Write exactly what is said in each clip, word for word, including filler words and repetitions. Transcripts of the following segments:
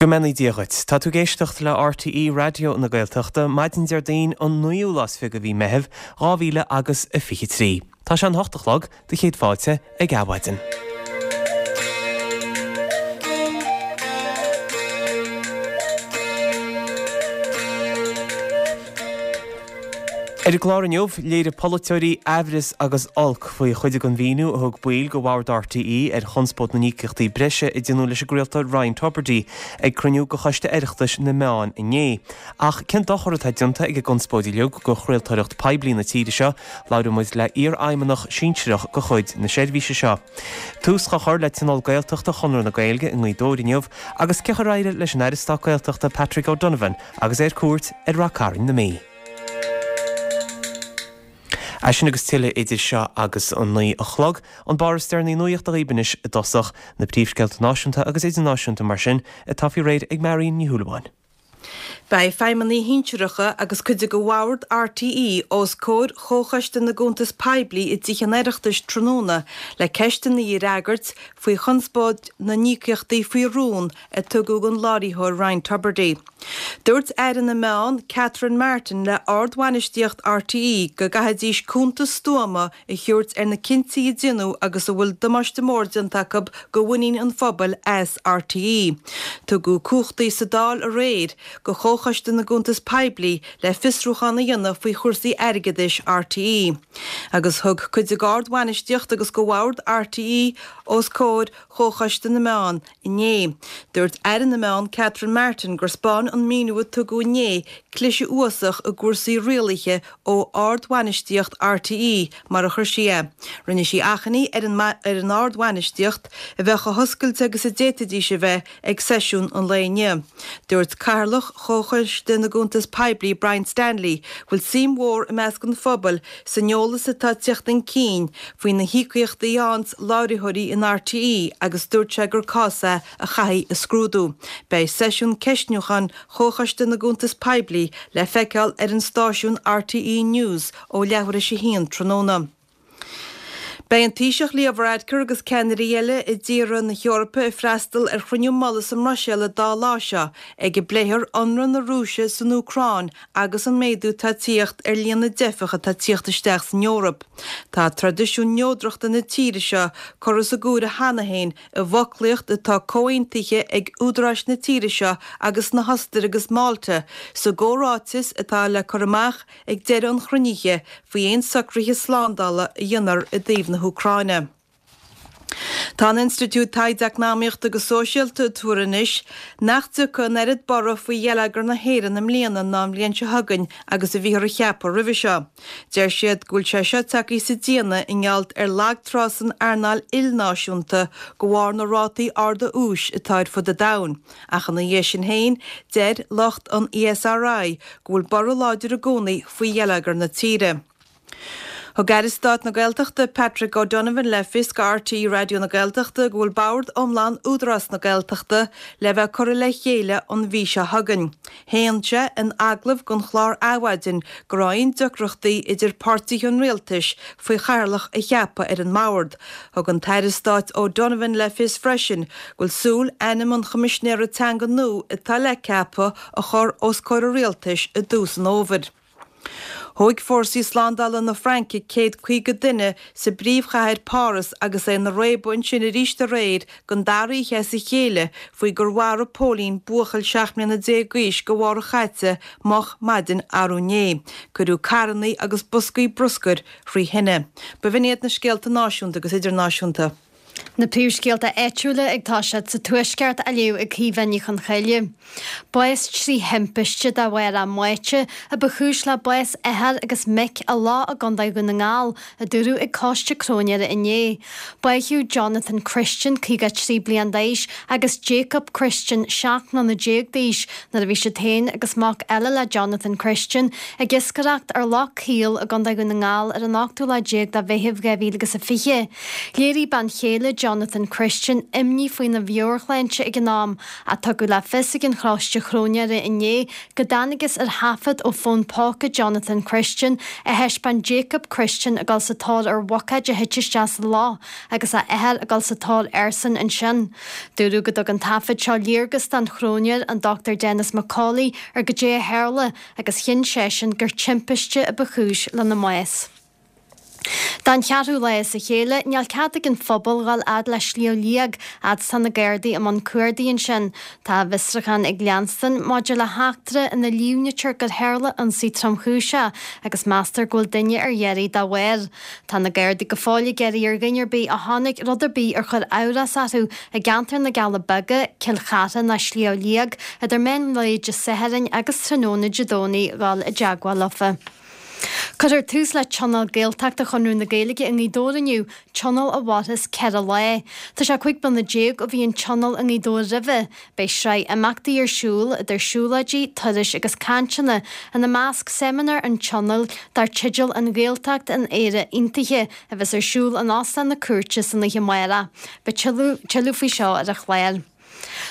Go mbeannaí Dia dhuit. Tá tú ag éisteacht le RTÉ Raidió na Gaeltachta, maidin Déardaoin an naoú lá is fiche de mhí Meitheamh, dhá mhíle agus a fiche trí. Tá sé an hocht a chlog, do chéad fáilte ag Adhmhaidin. Ar an gclár inniu, léirigh polaiteoirí aimhreas agus olc faoi chuid den mhíniú a thug baill de bhord RTÉ ar chonspóid na n-íocaíochtaí breise a déanadh leis an gcraoltóir Ryan Tubridy ag cruinniú de Choiste Oireachtais na Meán inné. Ach cén dochar atá déanta ag an gconspóid uilig do chraoltóireacht poiblí na tíre seo? Labhróidh muid le iarfheidhmeannach sinsearach de chuid na seirbhíse seo. Tús á chur le Tionól Gaeltachta Chonradh na Gaeilge i nGaoth Dobhair inniu agus cén chaoi ar éirigh leis an Aire Stáit Gaeltachta Patrick O'Donovan agus é ar cuairt ar Ráth Cairn na Mí. É sin agus tuilleadh idir seo agus an naoi a chlog. An barr is deireanaí nuachta dhaoibh anois i dtosach, na príomhscéalta náisiúnta agus idirnáisiúnta mar sin atá faoi réir ag Marion Ní Shúilleabháin. Beidh feidhmeannaigh shinsearacha agus cuid de bhord RTÉ os comhair Chomhchoiste na gCuntas Poiblí i dTithe an Oireachtais tráthnóna le ceisteanna a fhreagairt faoi chonspóid na n-íocaíochtaí faoi rún a tugadh don láithreoir Ryan Tubridy. Dúirt Aire na Meán, Catherine Martin le ardbhainistíocht RTÉ go gcaithfidís cuntas stuama a thabhairt ar na cinntí a deineadh agus a bhfuil damáiste mór déanta acu do mhuinín an phobail as RTÉ. Tugadh cumhachtaí sa Dáil aréir do Chomhchoiste na gCuntas Poiblí le fiosrúchán a dhéanamh faoi chúrsaí airgeadais RTÉ. Agus thug cuid d'ardbhainistíocht agus de bhord RTÉ os comhair Chomhchoiste na Meán inné. Dúirt Aire na Meán Catherine Martin gur 'spáin an míniú a tugadh inné cliseadh uafásach i gcúrsaí rialaithe ó ardbhainistíocht RTÉ, mar a chuir sí é. Rinne sí achainí ar an ar an ardbhainistíocht a bheith chomh hoscailte agus a d'fhéadfaidís a bheith ag seisiún an lae inniu. Dúirt Cathaoirleach Chomhchoiste na gCuntas Poiblí Brian Stanley go bhfuil suim mhór i measc an phobail san eolas atá ag teacht chun cinn faoi na híocaíochtaí a fhaigheann láithreoirí in RTÉ agus dúirt sé gur cás é a chaithfí a scrúdú. Beidh seisiún ceistniúcháin Chomhchoiste na gCuntas Poiblí le feiceáil ar an stáisiún RTÉ News ó leathuair tar éis a haon tráthnóna. Beidh an Taoiseach Leo Varadkar agus ceannairí eile i dtíortha na hEorpa ag freastal ar chruinniú mullaigh sa mBruiséil an dá lá seo ag a bpléifear ionradh na Rúise san Úcráin agus an méadú atá ag tíocht ar líon na dteifeach atá ag tíocht isteach san Eoraip. Tá traidisiún neodrachta na tíre seo curtha sa gcomhaireamh cheana féin i bhfoclaíocht atá comhaontaithe ag údaráis na tíre seo agus na hOstaire agus Málta sa gcomhráiteas atá le cur amach ag deireadh an chruinnithe faoi aon socruithe slándála a dhéanfar i dtaobh na hÚcráine. Tá an Institiúid Taighde Eacnamaíochta agus Sóisialta ag tuar anois nach dtiocfaidh an oiread borradh faoi gheilleagar na hÉireann i mbliana ná an bhliain seo chugainn agus a bhíothar a cheapadh roimhe seo. Deir siad go bhfuil sé seo tagtha sa déanamh i ngeall ar lagtrá san earnáil ilnáisiúnta de bharr na rátaí arda úis atá ar fud an domhain. Ach ina dhiaidh sin féin, deir lucht an ESRI go bhfuil borradh láidir i gcónaí faoi gheilleagar na tíre. Thug Aire Stáit na Gaeltachta Patrick O'Donovan le fios do RTÉ Raidió na Gaeltachta go bhfuil bord iomlán Údarás na Gaeltachta le bheith curtha le chéile an mhí seo chugainn. Shéan sé in agallamh don chlár Adhmhaidin go raibh aon deacrachtaí idir páirtithe an rialtais faoi chathaoirleach a cheapadh ar an mbord. Thug an tAire Stáit O'Donovan le fios freisin go bhfuil súil ainm an Choimisinéara Teanga nua atá le ceapadh a chur os comhair an rialtais i dtús an fhómhair. Thóg fórsaí slándála na Fraince céad caoga duine sa bpríomhchathair Páras agus é ina réabadh ansin arís aréir don dara oíche as a chéile faoi gur mharaigh póilín buachaill seacht mbliana déag d'aois go mhárach chaite moch maidin arú inné. Cuireadh carrannaí agus boscaí bruscair thrí thine. B'in iad na scéalta náisiúnta agus idirnáisiúnta. Na príomhscéalta áitiúla ag toiseacht sa Tuaisceart á léamh ag Caoimhe Ní Chonchoille. Bás trí thimpiste de bharr a mbáite a ba chúis le bás athar agus mic i loch i gContae Dhún na nGall, a dúradh ag Coiste Cróinéara inné. Báitheadh Jonathan Christian, caoga trí bliain d'aois, agus Jacob Christian, seacht mbliana déag d'aois, nuair a bhí siad féin agus mac eile le Jonathan Christian ag iascaireacht ar Loch Caol i gContae Dhún na nGall ar an ochtú lá déag de Mheitheamh dhá mhíle agus a fiche. Léirigh bean chéile chéile Jonathan Christian imní faoina mheabhairshláinte ag an am, ach tugadh le fios ag an Choiste Chróinéara inné go dtángthas ar thaifead ó fón póca Jonathan Christian a thaispeáin Jacob Christian ag dul sa tóir ar bhuicéad a thit isteach sa loch agus a athair ag dul sa tóir airsean ansin. Dúradh go dtug an taifead seo léargas don chróinéir, an Dochtúir Denis McCauley, ar goidé a tharla agus chinn seisean gur timpiste a ba chúis lena mbás. Don cheathrú lá as a chéile, níl cead ag an phobal dhul fhad le Sliabh Liag, fhad is tá na Gardaí i mbun cuardaigh ansin. Tá a bhfiosrúchán ag leanstan maidir le heachtra ina líomhnaítear gur tharla ionsaí tromchúiseach agus meastar go bhfuil duine ar iarraidh dá bharr. Tá na Gardaí go fóill ag iarraidh ar dhuine ar bith a chonaic rud ar bith ar chuir amhras orthu i gceantar na gCealla Beaga, Cill Chartha ná Sliabh Liag idir meán lae Dé Sathairn agus tráthnóna Dé Domhnaigh dhul i dteagmháil leofa. Cuirfear tús le Tionól Gaeltachta Chonradh na Gaeilge i nGaoth Dobhair inniu, tionól a mhairfeas ceithre lá. Tá sé cúig bliana déag ó bhí an tionól i nGaoth Dobhair roimhe. Beidh sraith imeachtaí ar siúl, idir siúlóidí, turais agus cainteanna, ina measc seimineár an tionóil dar teideal An Ghaeltacht in Éire Aontaithe, a bheas ar siúl in Óstán na Cúirte san oíche amárach. Beidh tuilleadh faoi seo ar an chlár.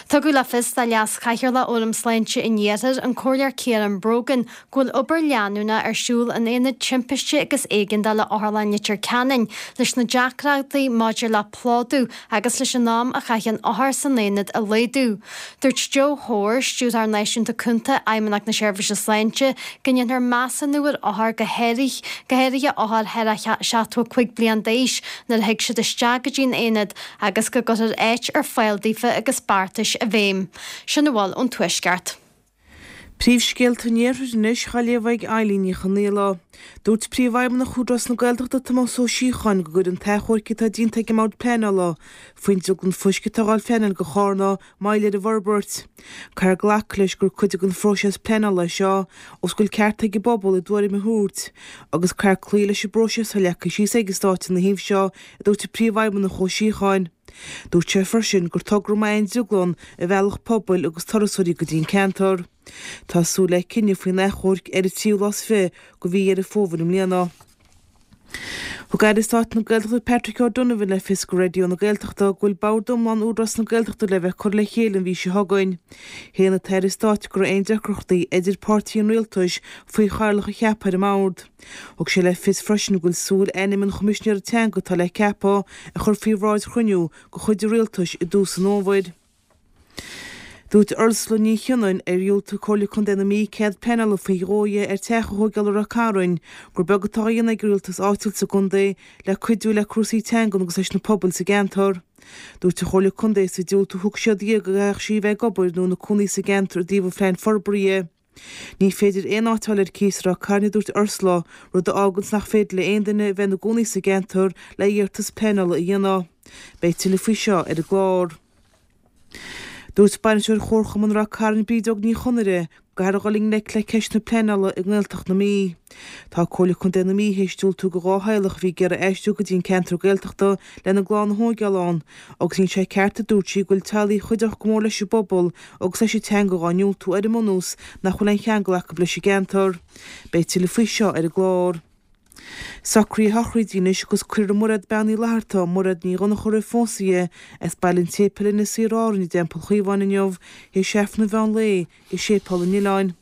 Tugadh le fios do Leas-Chathaoirleach Fhóram Sláinte an Iarthair, an Comhairleoir Ciarán Brogan, go bhfuil obair leanúnach ar siúl in Aonad Timpiste agus Éigeandála Otharlann Leitir Ceanainn leis na deacrachtaí maidir le plódú agus leis an am a chaitheann othair san aonad a laghdú. Dúirt Joe Hoare, Stiúrthóir Náisiúnta Cúnta Fheidhmeannacht na Seirbhíse Sláinte, go ndéanfar measúnú ar othair go go háirithe othair thar seachtó a cúig bliain d'aois nuair a thig siad isteach go dtí an aonad agus go gcuirfear áit ar fáil daofa agus beartais i bhfeidhm. Sin a bhfuil ón Tuaisceart. Príomhscéalta an Iarthair anois á léamh ag Eileen Ní Chonghaile. Dúirt Príomhfheidhmeannach Údarás na Gaeltachta Tomás Ó Síocháin go gcuireann an t-achomharc atá déanta ag an mBord Pleanála faoin drioglann fuisce atá á phleanáil do Charna moill ar an bhforbairt. Caithfear glacadh leis gur cuid den phróiseas pleanála é seo ós go bhfuil ceart ag an bpobal a dtuairim a thabhairt agus caithfear cloí leis an bpróiseas atá leagtha síos ag an stát ina thaobh seo, a dúirt an Príomhfheidhmeannach Ó Síocháin. Dúirt sé freisin gur togra maith é an drioglann a mheallfadh pobail agus turasóirí go dtí an ceantar. Tá súil le cinneadh faoin achomharc ar an tríú lá is fiche de mhí Dheireadh Fómhair i mbliana. Thug Aire Stáit na Gaeltachta Patrick O'Donovan le fios do Raidió na Gaeltachta go bhfuil bord iomlán Údarás na Gaeltachta le bheith curtha le chéile an mhí seo chugainn. Shéan an tAire Stáit go raibh aon deacrachtaí idir páirtithe an rialtais faoi chathaoirleach a cheapadh ar an mbord. Thug sé le fios freisin go bhfuil súil ainm an Choimisinéara Teanga atá le ceapadh a chur faoi bhráid chruinniú de chuid an rialtais i dtús an fhómhair. Dúirt Ursula Ní Chionnain, ar dhiúltaigh Comhairle Contae na Mí cead pleanála faoi dhó di ar teach a thógáil i Ráth Cairn, gur beag atá á dhéanamh ag an rialtas áitiúil sa gcontae le cuidiú le cúrsaí teangan agus leis na pobail sa gceantar. Dúirt an Chomhairle Contae sa diúltú a thug siad di go gcaithfeadh sí a bheith ag obair nó ina cónaí sa gceantar i dtaobh an phlean forbartha. Ní féidir aon áit a fháil ar cíos i Ráth Cairn, a dúirt Ursula, rud a fháganns nach féidir le aon duine a bheith ina gcónaí sa gceantar le hiarratas pleanála a dhéanamh. Beidh tuilleadh faoi seo ar an gclár. Dúirt Bainisteoir Chomharchumann Ráth Cairn Bríd Óg Ní Chonaire go gcaithfear a dhul i ngleic le ceist na pleanála i nGaeltacht na Mí. Tá Comhairle Contae na Mí théis diúltú do dhá theaghlach a bhí ag iarraidh aistriú go dtí an ceantar Gaeltachta lena gclann a thóigeáil ann agus níl sé ceart a dúirt sí go bhfuil teaghlaigh a chuideodh go mór leis an bpobal agus leis an teanga dhá ndiúltú ar an mbunús nach bhfuil aon cheangal acu leis an gceantar. Beidh tuilleadh faoi seo ar an gclár. Socruithe sochraide anois agus cuirfear Mairéad Bean Uí Fhlatharta, Mairéad Ní Dhonncha roimh phósadh di, as Baile an tSéipéil ina suí ar Árainn i dTeampall Chaomháin inniu, théis Aifreann an mheán lae i Séipéal an Oileáin.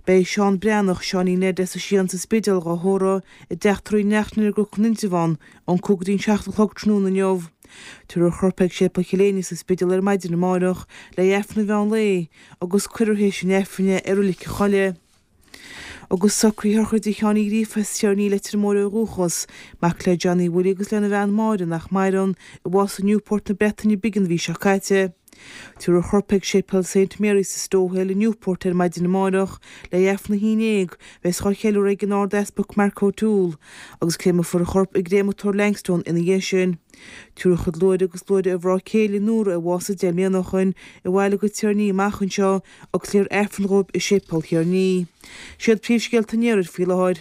Beidh Seán Breathnach, Seáinín Ned as an Sián sa Spidéal dhá thórramh i dTeach Tórraimh Uí Neachtain ar gCnoc an Indreabhán ón cúig go dtí an seacht a chlog tráthnóna inniu. Tabharfar a chorp ag Séipéal Chill Éinne sa Spidéal ar maidin amárach le hAifreann an mheán lae agus cuirfear théis an Aifrinn é i Reilig an Choilligh. Agus socruithe sochraide Sheáin Uí Ghríofa as Tír Ní Leitir Móir ó dhúchas, mac le Johnny Willie agus lena bhean Máire nach maireann, a bhásaigh i Newport na Breataine Bige an mhí seo caite. Tabharfar a chorp ag Séipéal Saint Mary's sa Stowe Hill i Newport ar maidin amárach le hAifreann a haon déag, bheas á cheiliúradh ag an Ard-Easpag Mark O'Toole, agus créamfar a chorp i gcréamatóir Langstone ina dhiaidh sin. Tabharfar a chuid luaithre agus luaithre a mhná céile Nóra a bhásaigh deich mbliana ó shoin abhaile go Tír an Fhia amach anseo agus léifear Aifreann dhóibh i Séipéal Thír an Fhia. Siad príomhscéalta an Iarthair faoi láthair.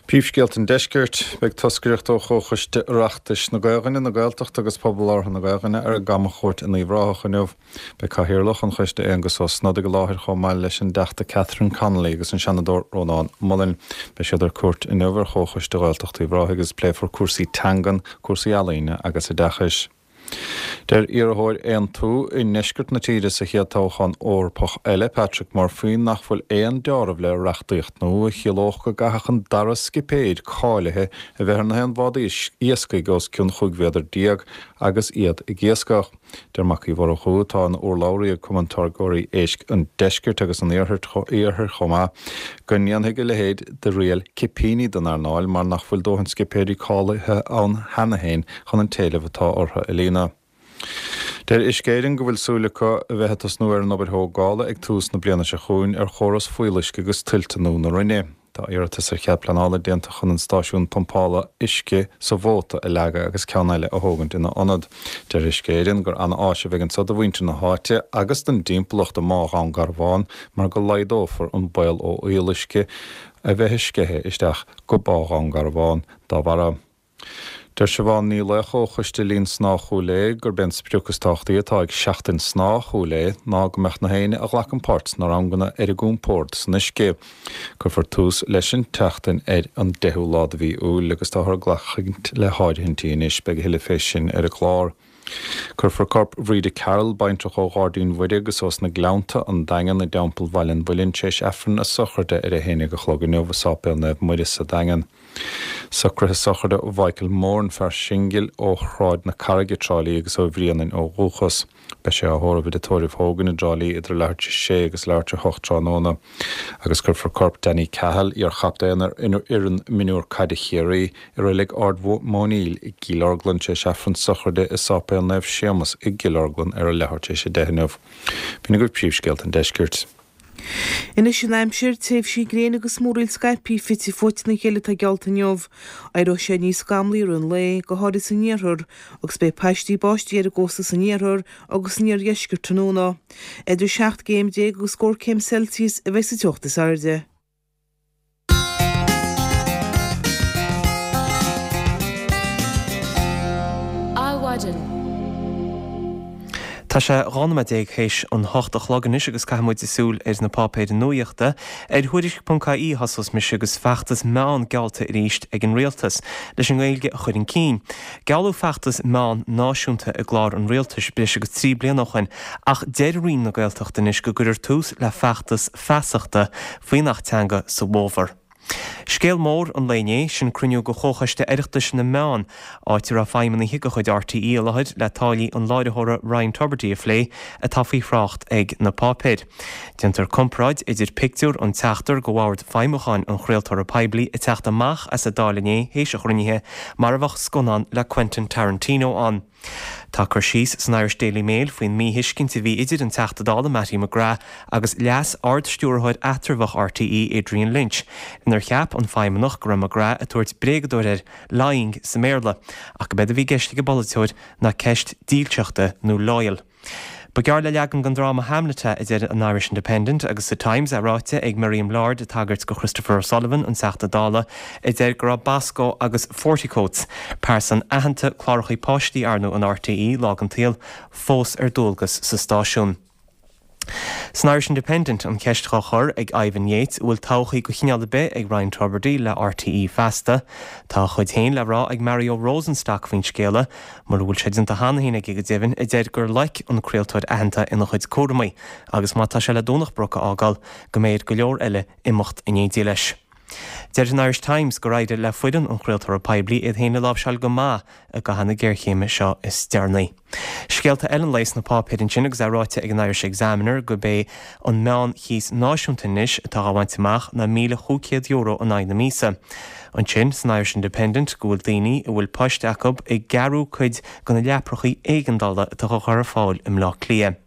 Príomhscéalta an Deiscirt, Beidh toscaireacht ó Chomhchoiste Oireachtais na Gaelainne, na Gaeltachta agus Pobal Labhartha na Gaelainne ar a gcamachuairt in Uíbh Ráthach inniu. Beidh Cathaoirleach an Choiste Aengus Ó Snodaigh i láthair chomh maith leis an dTeachta Catherine Connolly agus an Seanadóir Rónán Mullen. Beidh siad ar cuairt inniu ar Chomhchoiste Ghaeltacht Uíbh Ráthaigh agus pléifear cúrsaí teangan, cúrsaí ealaíne agus oideachais. Deir iarrthóir Aontú i ndeisceart na tíre sa chéad toghchán Eorpach eile, Patrick Murphy, nach bhfuil aon deáramh le reachtaíocht nua a chiallódh go gcaithfeadh an dara scipéir cáilithe a bheith ar na haon bhád iascaigh os cionn chúig mhéadar déag agus iad ag iascach. Deir Mac Uí Mhurchú, atá ina urlabhraí ag Cumann Táirgeoirí Éisc an Deiscirt agus an Iarthair chomh maith, go ndéanfaidh a leithéid de riail cipíní den earnáil mar nach bhfuil dóthain scipéirí cáilithe ann cheana féin chun an t-éileamh atá orthu a líonadh. Deir Uisce Éireann go bhfuil súil acu a bheith ag tosnú ar an obair thógála ag tús na bliana seo chugainn ar chóras fuíolluisce agus tuilte nua na Rinne. Tá iarratas ar chead pleanála déanta chun an stáisiún pumpála uisce sa Mhóta a leagadh agus ceann eile a thógaint ina ionad. Deir Uisce Éireann gur an-áis a bheidh anseo do mhuintir na háite agus don dtimpeallacht i mBá Dhún Garbhán mar go laghdófar an baol ó fhuíolluisce a bheith ag sceitheadh isteach go Bá Dhún Garbhán dá bharra. Deir Siobhán Ní Laocha ó Choiste Linn Snámha Chúil Aodha gurb é an sprioc is tábhachtaí atá ag Seachtain Snámha Chúil Aodha ná go mbeadh na héinne a ghlacann páirt sna ranganna ar a gcompord san uisce. Cuirfear tús leis an tseachtain ar an deichiú lá de mhí Iúil agus táthar ag glacadh le háirithintí anois. Beidh a thuilleadh fé sin ar an gclár. Cuirfear corp Bhríde Carroll, baintreach ó Ghairdín Mhuire agus ós na Gleannta, an Daingean, i dTeampall Bhaile an Mhuilinn tar éis Aifreann a sochraide ar a haon déag a chlog inniu i Sáipéal Naomh Muire sa Daingean. Socruithe sochraide Mhichael Moran, fear singil ó Shráid na Carraige, Trá Lí agus ó Bhrianainn ó dhúchas. Beidh sé á thórramh i dTigh Tórraimh Hogan i dTrá Lí idir leathuair tar éis a sé agus leathuair tar éis a hocht tráthnóna agus cuirfear corp Danny Cahill, iar-chaptaen ar fhoireann mionúr caide Chiarraí, i reilig Ard Mhóiníl i gCill Orglan tar éis Aifreann sochraide i Sáipéal Naomh Séamus i gCill Orglan ar a leathuair tar éis a deich inniu. B'in agaibh príomhscéalta an deiscirt. Anois an aimsir, tréimhsí gréine agus múraíl scaipthe fite fuaite ina chéile atá geallta inniu. Éireoidh sé níos scamlaí i rith an lae, go háirithe san iarthar, agus beidh paistí báistí ar an gcósta san iarthar agus san iardheisceart tráthnóna. Idir seacht gcéim déag agus scór céim Celsius a bheidh sa teocht is airde. Adhmhaidin. Tá sé dhá nóiméad déag théis an hocht a chlog anois agus caithfidh muid súil ar na páipéir nuachta. Ar Thuairisc ponc ie a thosós mise agus feachtas meán geallta arís ag an Rialtas leis an nGaeilge a chur chun cinn. Gealladh feachtas meán náisiúnta i gclár an Rialtais breis agus trí bliana ó shin ach deir Roinn na Gaeltachta anois go gcuirfear tús le feachtas feasachta faoin Acht Teanga sa bhfómhar. Scéal mór an lae inné, sin cruinniú de Chomhchoiste Oireachtais na Meán, áit a raibh feidhmeannaithe de chuid RTÉ i láthair le táillí an láithreora Ryan Tubridy a phlé, atá faoi thrácht ag na páipéir. Déantar comparáid idir pictiúr an tseachtar de bhord feidhmiúcháin an chraoltóra poiblí ag teacht amach as an Dáil inné théis an chruinnithe mar a bheadh scannán le Quentin Tarantino ann. Tá cur síos san Irish Daily Mail faoin míthuiscint a bhí idir an Teachta Dála Mattie McGrath agus Leas-Ard-Stiúrthóir eatramhach RTÉ Adrian Lynch, inar cheap an feidhmeannach go raibh McGrath ag tabhairt bréagadóir air, lying sa mBéarla, ach go b'éard a bhí i gceist ag an bpolaiteoir ná ceist dílseachta nó loyal. Ba ghearr le leagan den dráma Hamlet é, a deir an Irish Independent, agus sa Times é ráite ag Miriam Lord ag tagairt do Christopher O'Sullivan, an Teachta Dála, a deir go raibh Bosco agus Forty-Coats, pearsan aitheanta clárachaí páistí arnú in RTÉ lá den tsaol, fós ar dualgas sa stáisiún. San Irish Independent, an cheist dhá chur ag Ivan Yates an bhfuil todhchaí de chineál ar bith ag Ryan Tubridy le RTÉ feasta. Tá a chuid féin le rá ag Mario Rosenstock faoin scéala, mura bhfuil sé déanta cheana féin aige go deimhin, a deir gur loic an craoltóir aitheanta ina chuid cúramaí agus má tá sé le Domhnach Broc a fhágáil, go mbeidh ar go leor eile imeacht in éindí leis. Deir an Irish Times gur éirigh le foireann an chraoltóra poiblí iad féin a láimhseáil go maith i gcaitheamh na géarchéime seo is deireanaí. Scéalta eile an lae sna páipéir ansin agus é ráite ag an Irish Examiner gurb é an meán-chíos náisiúnta anois atá á bhaint amach ná míle chúig chéad euro in aghaidh na míosa. Ansin san Irish Independent go bhfuil daoine a bhfuil poist acu ag gearradh cuid de na leaprachaí éigeandála atá á gcur ar fáil i mBleá Cliath.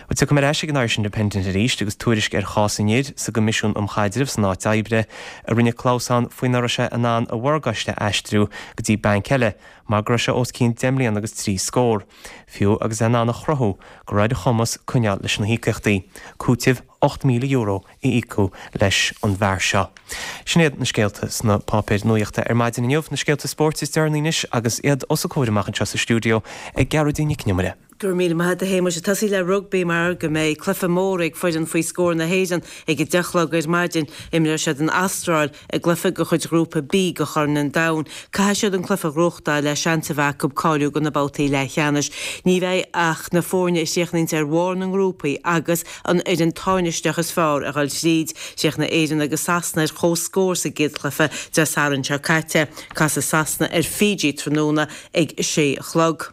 Bhuel, tiocfaidh mé ar ais ag an Irish Independent arís agus tuairisc ar chás an fhir sa gCoimisiún um Chaidreamh san Áit Oibre a rinne clamhsán faoi nach raibh sé in ann a mhorgáiste a aistriú go dtí banc eile mar go raibh sé os cionn deich mbliana agus trí scór, fiú agus é in ann a chruthú go raibh ar a chumas coinneáil leis na híocaíochtaí. Cúiteamh ocht míle euro a íocadh leis an bhfear seo. Sin iad na scéalta sna páipéir nuachta ar maidin inniu, na scéalta spóirt is deireanaí anois agus iad os a comhair amach anseo sa stiúideo ag Gearóidín Nic Con Iomaire. Go raibh míle maith agat a Shéamuis. Ag tosaí le rugbaí mar go mbeidh cluiche mór ag foireann faoi scór na hÉireann ag a deich a chlog ar maidin. Imreoidh siad an Astráil i gcluiche de chuid Ghrúpa B de Chorn an Domhain. Caithfidh siad an cluiche a ghnóthachtáil le seans a bheith acu cáiliú do na babhtaí leathcheannais. Ní bheidh ach na foirne a chríochnaíonns ar bharr na ngrúpaí agus an fhoireann tánaisteach is fearr a dhul tríd. Chríochnaigh Éirinn agus Sasana ar comhscór sa gcéad chluiche Dé Sathairn seo caite. Casfaidh Sasana ar Fiji tráthnóna ag a sé a chlog.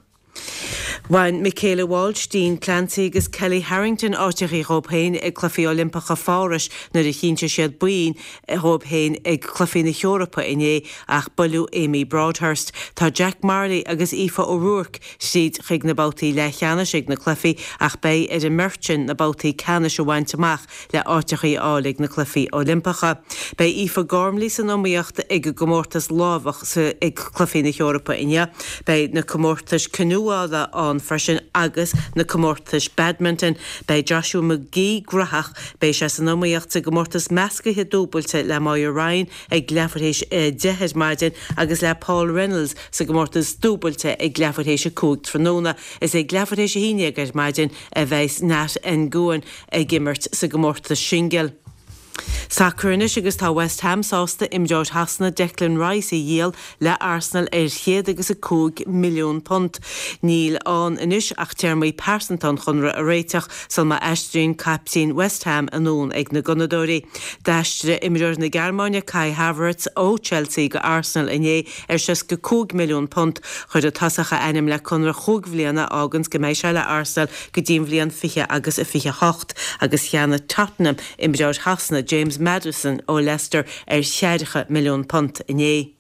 Bhain Michaela Walsh, Dean Clancy agus Kellie Harrington áiteachaí dhóibh féin ag Cluichí Oilimpeacha Pháras nuair a chinntigh siad boinn dhóibh féin ag Cluichí na hEorpa inné ach buaileadh Amy Broadhurst. Tá Jack Marley agus Aoife O'Rourke tríd chuig na babhtaí leathcheannais ag na cluichí ach beidh ar an mbeirt sin na babhtaí ceannais a bhaint amach le áiteachaí a fháil ag na Cluichí Oilimpeacha. Beidh Aoife Gormley san iomaíocht ag an gcomórtas lámhach sa ag Cluichí na hEorpa inniu. Beidh na comórtais canúála ann freisin agus na comórtais badminton. Beidh Joshua McGee gnóthach, beidh sé san iomaíocht sa gcomórtas meascaithe dúbailte le Moya Ryan ag leathuair théis a deich ar maidin agus le Paul Reynolds sa gcomórtas dúbailte ag leathuair théis a cúig tráthnóna. Is ag leathuair théis a haon déag ar maidin a bheidh Nat Nguyen ag imirt sa gcomórtas singil. Sacar anois agus tá West Ham sásta imreoir Shasana Declan Rice a dhíol le Arsenal ar chéad agus a cúig milliún punt. Níl ann anois ach téarmaí pearsanta an chonradh a réiteach sul má aistríonn caiptín West Ham anonn ag na Gunnadóirí. D'aistrigh imreoir na Gearmáine Kai Havertz ó Chelsea go Arsenal inné ar seasca cúig milliún punt. Chuir an tosach a ainm le conradh chúig bhliana a fháganns go mbeidh sé le Arsenal go dtí an bhliain fiche agus a fiche hocht agus cheannaigh Tottenham imreoir Shasana James Maddison ó Leicester ar cheathracha milliún punt inné.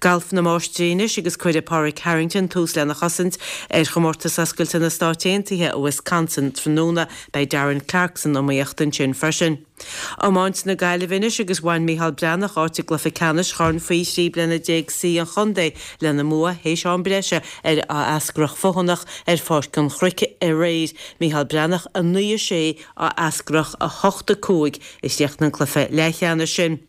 Galf na Máistrí anois agus cuirfidh Pádraig Harrington tús lena chosaint ar chomórtas oscailte na Stát Aontaithe i Wisconsin tráthnóna. Beidh Darren Clarke san iomaíocht ansin freisin. Iomáint na Gaillimhe anois agus bhain Micheál Breathnach áit i gcluiche ceannais Chorn Faoi Thrí Bliana Déag C an Chontae lena mbua théis am breise ar Áth Eascrach Feothanach ar Pháirc an Chnoic aréir. Micheál Breathnach a naoi a sé, Áth Eascrach a hocht a cúig a chríochnaigh an cluiche leathcheannais sin.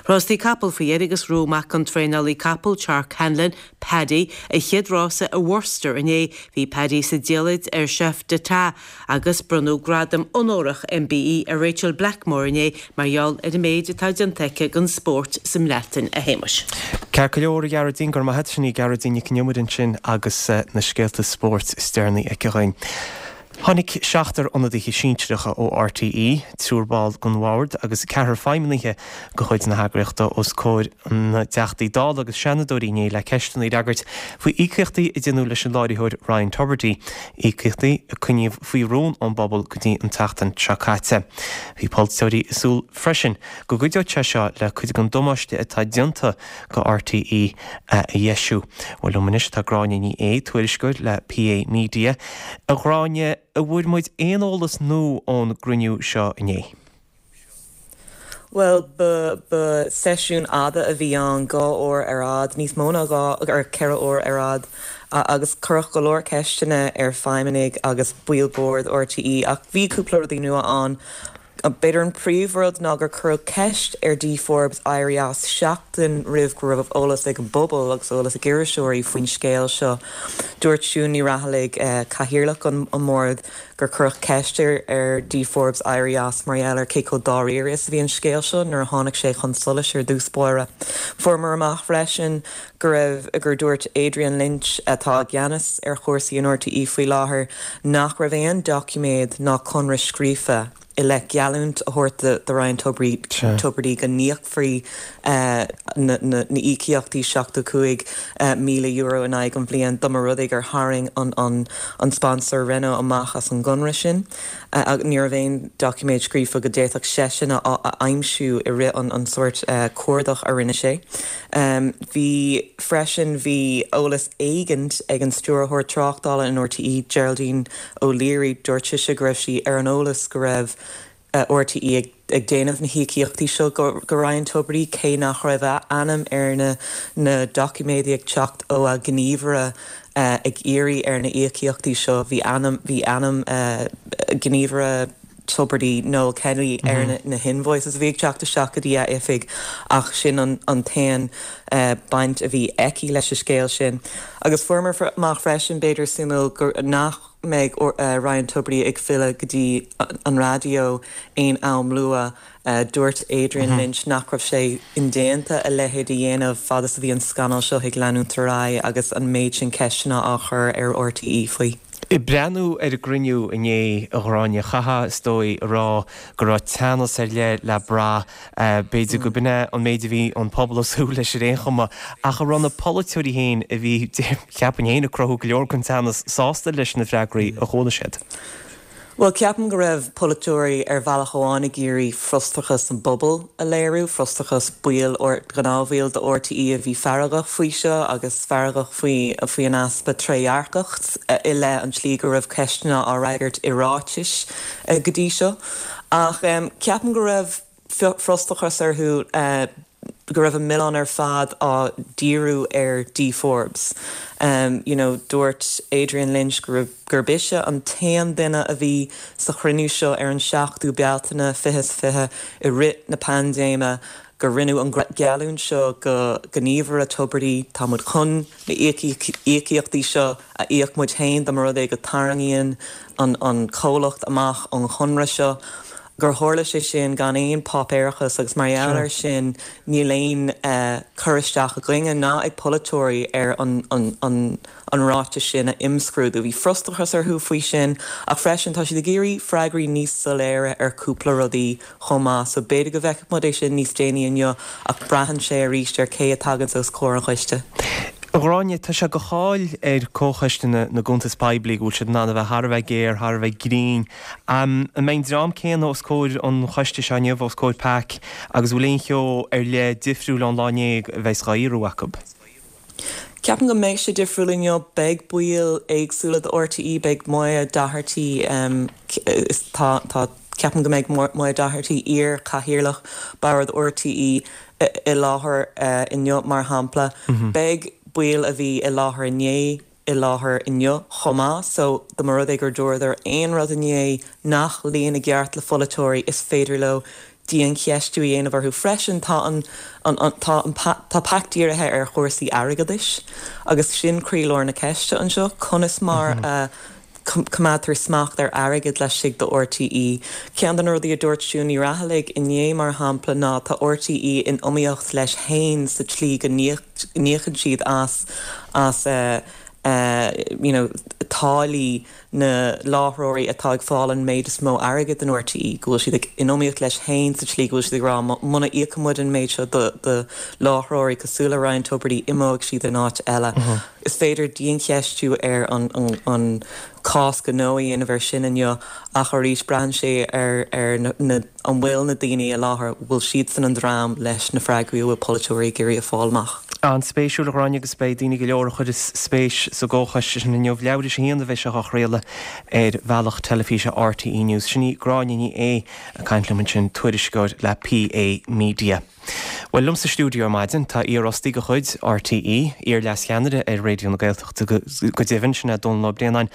Rástaí capall faoi dheireadh agus ghnóthaigh mac an traenálaí capall Chark Hanlon, Paddy, a chéad rása i Worcester inné. Bhí Paddy sa diallait ar Chef d'Etat agus bronnadh gradam onórach MBE ar Rachel Blackmore inné mar gheall ar an méid atá déanta aici don spórt sa mBreatain, a Shéamais. Ceart go leor, a Ghearóidín, go raibh maith agat. Sin í Gearóidín Nic Con Iomaire ansin agus na scéalta spóirt is deireanaí aici dhúinn. Tháinig seachtar ionadaithe sinsearacha ó RTÉ, triúr ball den bhord agus ceathrar feidhmeannaithe de chuid na heagraíochta os comhair na dTeachtaí Dála agus Seanadóirí inné le ceisteanna a fhreagairt faoi íocaíochtaí a deineadh leis an láithreoir Ryan Tubridy, íocaíochtaí a coinníodh faoi rún ón bpobal go dtí an tseachtain seo caite. Bhí polaiteoirí ag súil freisin go gcuideodh sé seo le cuid den damáiste atá déanta go RTÉ a dheisiú. Bhuel, liom anois tá Gráinne Ní Aodha, tuairisceoir le PA Media. A Ghráinne, an bhfuair muid aon eolas nua ón gcruinniú seo inné? Bhuel, ba ba seisiún fhada a bhí ann, dhá uair ar fhad, níos mó ná dhá ar ceithre uair ar fhad, agus cuireadh go leor ceisteanna ar feidhmeannaigh agus baill boird RTÉ ach bhí cúpla rudaí nua ann. B'fhéidir an príomhrud ná gur cuireadh ceist ar Dee Forbes éirí as seachtain roimh go raibh eolas ag an bpobal agus eolas ag iriseoirí faoin scéal seo. Dúirt Siún Ní Raghallaigh, cathaoirleach an bhoird, gur cuireadh ceist ar ar Dee Forbes éirí as mar gheall ar cé chomh dáiríre is a bhí an scéal seo nuair a tháinig sé chun solais ar dtús báire. Fuaireamar amach freisin go raibh gur dúirt Adrian Lynch, atá i gceannas ar chúrsaí in RTÉ faoi láthair, nach raibh aon doiciméad ná conradh scríofa i leith geallúint a thabhairt do Ryan Tubridy go n-íocfaí na híocaíochtaí seachtó cúig míle euro in aghaidh an bhliain dá mba rud é gur tharraing an sponsor Renault amach as an gconradh sin. Ní raibh aon doiciméad scríofa go d'fhéadfadh seisean a aimsiú i rith an sórt cuardach a rinne sé. Bhí freisin bhí eolas éigint ag an stiúrthóir tráchtála in RTÉ, Geraldine O'Leary, dúirt sise go raibh sí ar an eolas go raibh RTÉ ag déanamh na híocaíochtaí seo go Ryan Tubridy cé nach raibh a ainm ar na na doiciméidí ag teacht ó a ghníomhaire ag iarraidh ar na íocaíochtaí seo. Bhí ainm bhí ainm gníomhaire Tubridy, Noel Kelly ar na, na hinvoices a bhí ag teacht isteach go dtí a oifig ach sin an, an t-aon uh, baint a bhí aici leis an scéal sin. Agus fuaireamar amach freisin b'fhéidir suimiúil gur nach mbeidh uh, Ryan Tubridy ag filleadh go dtí an raidió aon am luath uh, dúirt Adrian mm -hmm. Lynch nach raibh sé indéanta a leithéid a dhéanamh fad is a bhí an scannal seo ag leanúint ar aghaidh agus an méid sin ceisteanna á chur ar RTÉ faoi. Ag breathnú ar an gcruinniú inné a Ghráinne chaithfeá is dóigh a rá go raibh teannas ar leith le brath b'fhéidir go b'in é an méid a bhí an pobal ag súil leis ar aon chuma ach an raibh na polaiteoirí féin a bhí cheapfainn féin ag cruthú go leor den teannas sásta leis na freagraí a chuala siad. Well ceapaim go raibh polaiteoirí ar bhealach amháin ag iarraidh frustrachas an bpobal a léiriú, frustrachas baill gnáthbhaill de RTÉ a bhí feargach faoi seo agus feargach faoi faoi an easpa trédhearcacht i leith an tslí go raibh ceisteanna á fhreagairt i ráitis go dtí seo. Ach um, ceapaim go raibh frustrachas orthu uh, go raibh an milleán ar fad á dhíriú ar Dee Forbes. Um, you know, dúirt Adrian Lynch gur gurb ise an t-aon duine a bhí sa chruinniú seo ar an seachtú Bealtaine fiche fiche i rith na paindéime gur rinneadh an geallúint seo go gníomhaire Tubridy tá muid chun na íocaíochtaí seo a íoc muid féin dá mba rud é go dtarraingíonn an, an comhlacht amach an chonradh seo. gur tharla sé sin gan aon páipéarachas agus mar gheall air sin níl aon uh, chur isteach againne ná ag polaiteoirí ar an, an, an, an ráiteas sin a imscrúdú. Bhí frustrachas orthu faoi sin ach freisin tá siad ag iarraidh freagraí níos soiléire ar cúpla rudaí chomh maith, so b'fhéidir go bhfeicfidh muid é sin níos déanaí inniu ach braitheann sé arís ar cé a thagann os comhair an choiste. Gráinne tá sé de cháil ar Chomhchoiste na, na gCuntas Poiblí go bhfuil siad in ann a bheith thar a bheith géar thar a bheith grinn. Um, an mbeidh an dream céanna os comhair an choiste seo inniu os comhair PAC agus bhfuil aon cheo ar leith difriúil ón lá inné a bheas á fhíorú acu. Ceapaim go mbeidh sé difriúil inniu beidh baill éagsúla de RTÉ beidh Moya Doherty um, tá tá ceapaim go mbeidh Moya Doherty iar-chathaoirleach bord RTÉ i láthair uh, inniu mar shampla. Mm -hmm. Beidh baill a bhí i láthair inné i láthair inniu chomh maith, so dá mba rud é gur dúradar aon rud inné nach luíonn i gceart le polaiteoirí is féidir leo diancheistiú a dhéanamh orthu freisin tá an, an, an, tá, an, tá PAC dírithe ar chúrsaí airgeadais agus sin croílár na ceiste anseo conas mar mm -hmm. uh, coimeádtar smacht ar airgead laistigh de RTÉ. Ceann de na rudaí a dúirt Siún Ní Raghallaigh inné mar shampla ná tá RTÉ in iomaíocht leis féin sa tslí go n-íocann siad as as uh, uh, you know, táillí na láithreoirí atá ag fáil an méid is mó airgead in RTÉ, go bhfuil siad in iomaíocht leis féin sa tslí go bhfuil siad ag rá muna íocann muid an méid seo do, do láithreoirí cosúil le Ryan Tubridy imeoidh siad in áit eile. Uh -huh. Is féidir diancheistiú ar an, an, an cás gnó a dhéanamh air sin inniu ach arís braitheann sé ar, ar na, na, an bhfuil na daoine i láthair bhfuil siad san an dream leis na freagraí a bhfuil polaiteoirí ag iarraidh a fháil amach. An-spéisiúil a Ghráinne agus beidh daoine go leor a chuireas spéis sa gcomhchoiste sin inniu leathuair tar éis a haon a bheidh sé á chraoladh ar bhealach teilifíse RTÉ News. Sin í Gráinne Ní Aodha ag caint liom ansin tuairisceoir le PA Media. Well liom sa stiúideo ar maidin tá iarfhostaí de chuid RTÉ, iar-leascheannaire ar Raidió na Gaeltachta go deimhin sin é Dónal Ó Braonáin.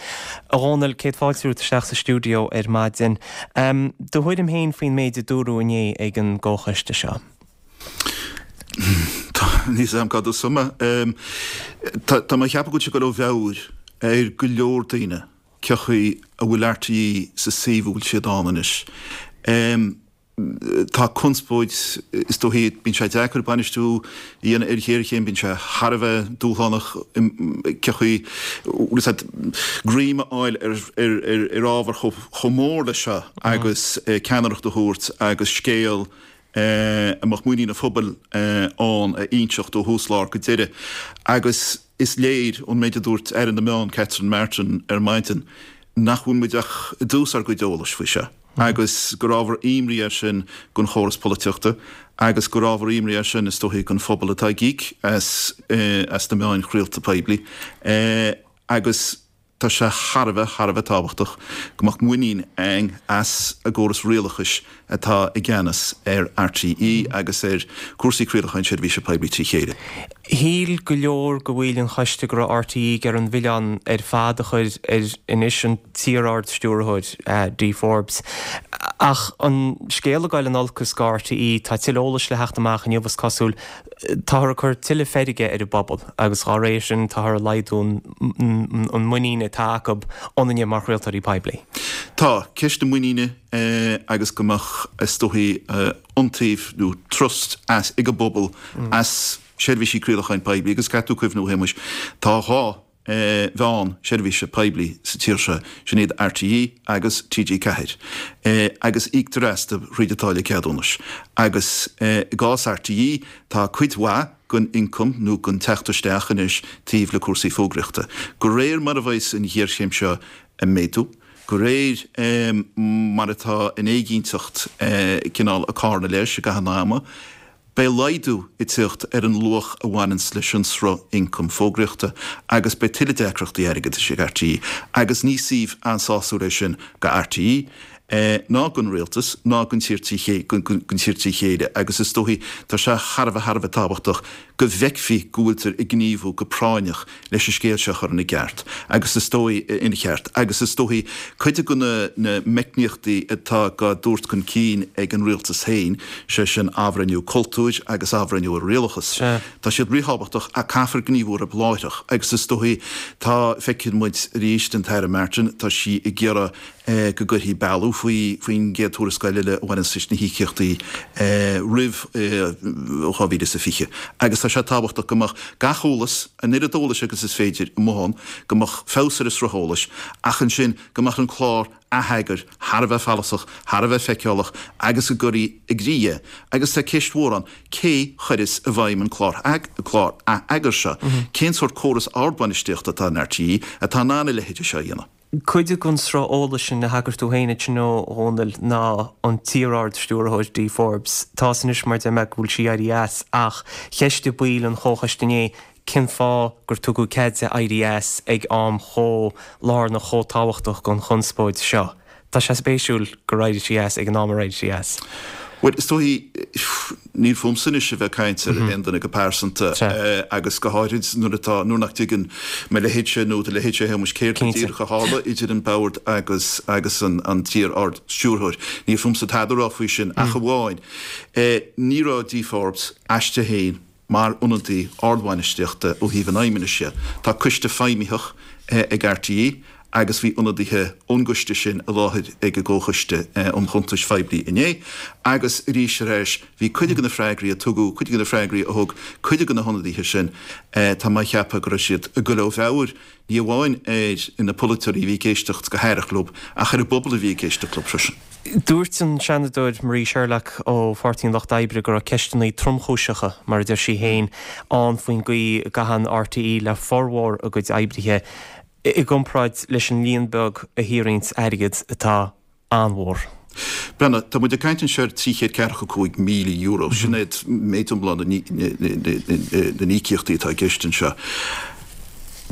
A Dhónaill céad fáilte romhat isteach sa stiúideo ar maidin. Um, do thuairim féin faoin méid a dúradh inné ag an gcomhchoiste seo. Níl a fhios agam cad is suma. Tá mé ag ceapadh go bhfuil sé ag dul ó mheabhair ar go leor daoine cén chaoi a bhfuil RTÉ sa suíomh a bhfuil siad ann anois. Tá conspóid, is dóichí, bíonn sé deacair bainistiú a dhéanamh ar ghéarchéim, bíonn sé thar a bheith dúshlánach cén chaoi, bhfuil a fhios agat, greim a fháil ar ábhar chomh mór leis seo agus ceannaireacht a thabhairt agus scéal a mbeadh muinín an phobail ann a inseacht ó thús lár go deireadh. Agus is léir ón méid a dúirt Aire na Meán, Catherine Martin ar maidin, nach bhfuil muid ach i dtús ár gcuid eolais faoi seo agus gur ábhar imní é sin don chóras polaitíochta agus gur ábhar imní é sin is dóichí don phobal atá ag íoc as as na meáin chraolta poiblí agus Tá sé thar a bheith, thar a bheith tábhachtach go mbeadh muinín againn as an gcóras rialachais atá i gceannas ar RTÉ agus ar chúrsaí craolacháin seirbhíse poiblí trí chéile. Shíl go leor de bhaill an choiste go raibh RTÉ ag iarraidh an milleán ar fad a chur ar anois an t-iar-Ard-Stiúrthóir, Dee Forbes. Ach an scéal ag dul in olcas do RTÉ, tá tuilleadh eolais le theacht amach inniu is cosúil, táthar ag cur tuilleadh feirge ar an bpobal agus dá réir sin táthar ag laghdú an muinín atá acu ionainne mar chraoltóirí poiblí. Tá, ceist na muiníne agus go mbeadh, is dóichí, iontaoibh nó trust as ag an bpobal as seirbhísí craolacháin poiblí agus caithfidh tú cuimhniú, a Shéamuis, tá dhá mheán seirbhíse poiblí sa tír seo, sin iad RTÉ agus TG Ceathair, agus íoctar astu thríd an táille ceadúnais. Agus i gcás RTÉ tá cuid mhaith den ioncam nó den teacht isteach anois taobh le cúrsaí fógraíochta. De réir mar a bheas an ghéarchéim seo ag méadú, de réir mar atá an éiginnteacht cineál ag carnadh leis i gcaitheamh an ama, Beidh laghdú ag teacht ar an luach a bhaineanns leis an sruth ioncaim fógraíochta agus beidh tuilleadh deacrachtaí airgeadais ag RTÉ agus ní suíomh an-sásúil é sin do RTÉ ná don rialtas ná don tír trí chéile agus is dóichí tá sé thar a bheith thar a bheith tábhachtach go bhfeicfí go bhfuiltear ag gníomhú go práinneach leis an scéal seo a chur ina gceart agus is dóigh ina cheart agus is dóichí cuid de na meicníochtaí atá á dtabhairt chun cinn ag an rialtas féin, sé sin athbhreithniú cultúir agus athbhreithniú ar rialachas. Tá siad ríthábhachtach ach caithfear gníomhú orthu láithreach agus is dóichí tá, feiceann muid arís an tAire Martin, tá sí ag iarraidh go gcuirfí bealú faoi faoin gcéad tuarascáil eile a bhaineanns leis na híocaíochtaí roimh dhá mhíle is a fiche agus tá sé tábhachtach go mbeadh gach eolas, an oiread eolais agus is féidir, amuigh ann, go mbeadh feabhas ar an sruth eolais ach ansin go mbeadh an clár atheagair thar a bheith follasach, thar a bheith feiceálach agus go gcuirfí i gcrích é. Agus tá ceist mhór ann, cé chuireas i bhfeidhm an clár atheagair seo? Cén sórt córas ardbhainistíochta atá in RTÉ atá in ann a leithéid seo a dhéanamh? Cuid den sruth eolais sin a thagair tú féin ansin a Dhónaill ná an t-iar-Ard-Stiúrthóir Dee Forbes. Tá 'fhios anois mar deir mé go bhfuil sí éirithe as ach cheistigh baill an chomhchoiste inné cén fáth gur tugadh cead di éirí as ag am chomh lárnach chomh tábhachtach don chonspóid seo. Tá sé spéisiúil gur éirigh sí as ag an am ar éirigh sí as. Bhuel, is dóichí, níl fúmsa anois a bheith ag caint ar aon duine go pearsanta agus go háirid nuair atá, nuair nach dtuigeann mo leithéidse nó do leithéidse, a Shéamuis, céard go díreach a tharla idir an Bord agus agus an an t-iar-Ard-Stiúrthóir. Níl fúmsa tada a rá faoi sin ach amháin, ní raibh Dee Forbes aisti féin mar ionadaí ardbhainistíochta ó thaobh an fheidhmeannais dhe. Tá coiste feidhmitheach ag RTÉ agus bhí ionadaithe ón gcoiste sin i láthair ag an gComhchoiste um Chuntais Phoiblí inné agus arís ar ais bhí cuid de na freagraí a tugadh, cuid de na freagraí a thug cuid de na hionadaithe sin, tá mé a cheapadh go raibh siad ag goil ó mheabhair, ní amháin ar na polaiteoirí a bhí ag éisteacht go haireach leo ach ar an bpobal a bhí ag éisteacht leo freisin. Dúirt an Seanadóir Marie Sherlock ó Pháirtí an Lucht Oibre go raibh ceisteanna tromchúiseacha, mar a deir sí féin, ann faoin gcaoi a gcaitheann RTÉ le formhór a gcuid oibrithe. i gcomparáid leis an líon beag a shaothraíonns airgead atá an-mhór. Breathnaigh, tá muid ag caint anseo ar trí chéad ceathracha cúig míle euro, sin é méid iomlán na n-íocaíochtaí atá i gceist anseo.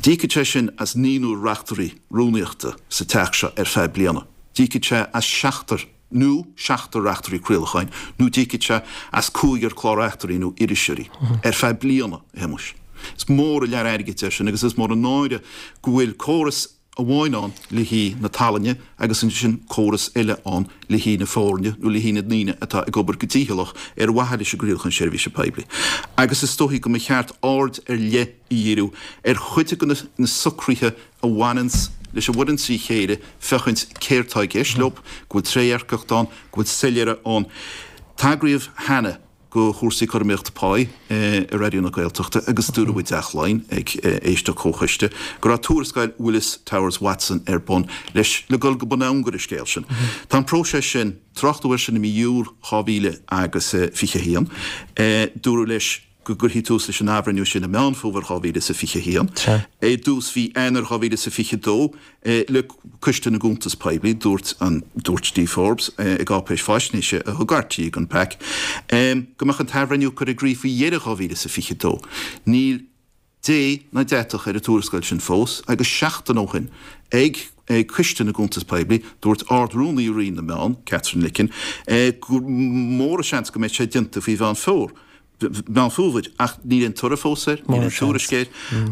D'íocfadh sé sin as naonúr reachtairí rúnaíochta sa teach seo ar feadh bliana. D'íocfadh sé as seachtar nó seachtar reachtairí craolacháin, nó d'íocfadh sé as cúigear clár-reachtairí nó iriseoirí ar feadh bliana, a Shéamuis. Is mór an lear airgid é sin agus is mór an náire go bhfuil córas amháin ann le haghaidh na tallainne agus ansin córas eile ann le haghaidh na foirne nó le haghaidh na ndaoine atá ag obair go dícheallach ar mhaithe leis an gcraolachán seirbhíse poiblí. Agus is dóichí go mba cheart aird ar leith a dhíriú ar chuid de na socruithe a bhaineanns leis an bhfoireann trí chéile féachaint céard tá i gceist leo, go bhfuil trédhearcacht ann, go bhfuil soiléire ann. Tagraíodh cheana do chúrsaí cothromaíochta páí i Raidió na Gaeltachta agus dúradh i dTeach Laighean ag éisteacht comhchoiste go raibh tuarascáil Willis Towers Watson ar bun leis le dul go bun angaire an scéil sin. Tá an próiseas sin, tráchtadh air sin i mí Iúil dhá mhíle agus fiche a haon. Dúradh leis go gcuirfí tús leis an athbhreithniú sin i Meán Fómhair dhá mhíle is a fiche a haon. I dtús mhí Eanáir dhá mhíle is a fiche a dó, le Coiste na gCuntas Poiblí, dúirt an dúirt Dee Forbes i gcáipéis faisnéise a thug RTÉ don PAC go mbeadh an t-athbhreithniú curtha i gcrích faoi dheireadh dhá mhíle is a fiche a dó. Níl Dé ná deatach ar an tuarascáil sin fós agus seachtain ó shin ag Coiste na gCuntas Poiblí, dúirt Ard-Rúnaí Roinn na Meán, Katherine Licken, gur mór an seans go mbeidh sé déanta faoi Mheán Fómhair. Meán Fómhair, ach níl aon toradh fós air, níl aon tuairisc air,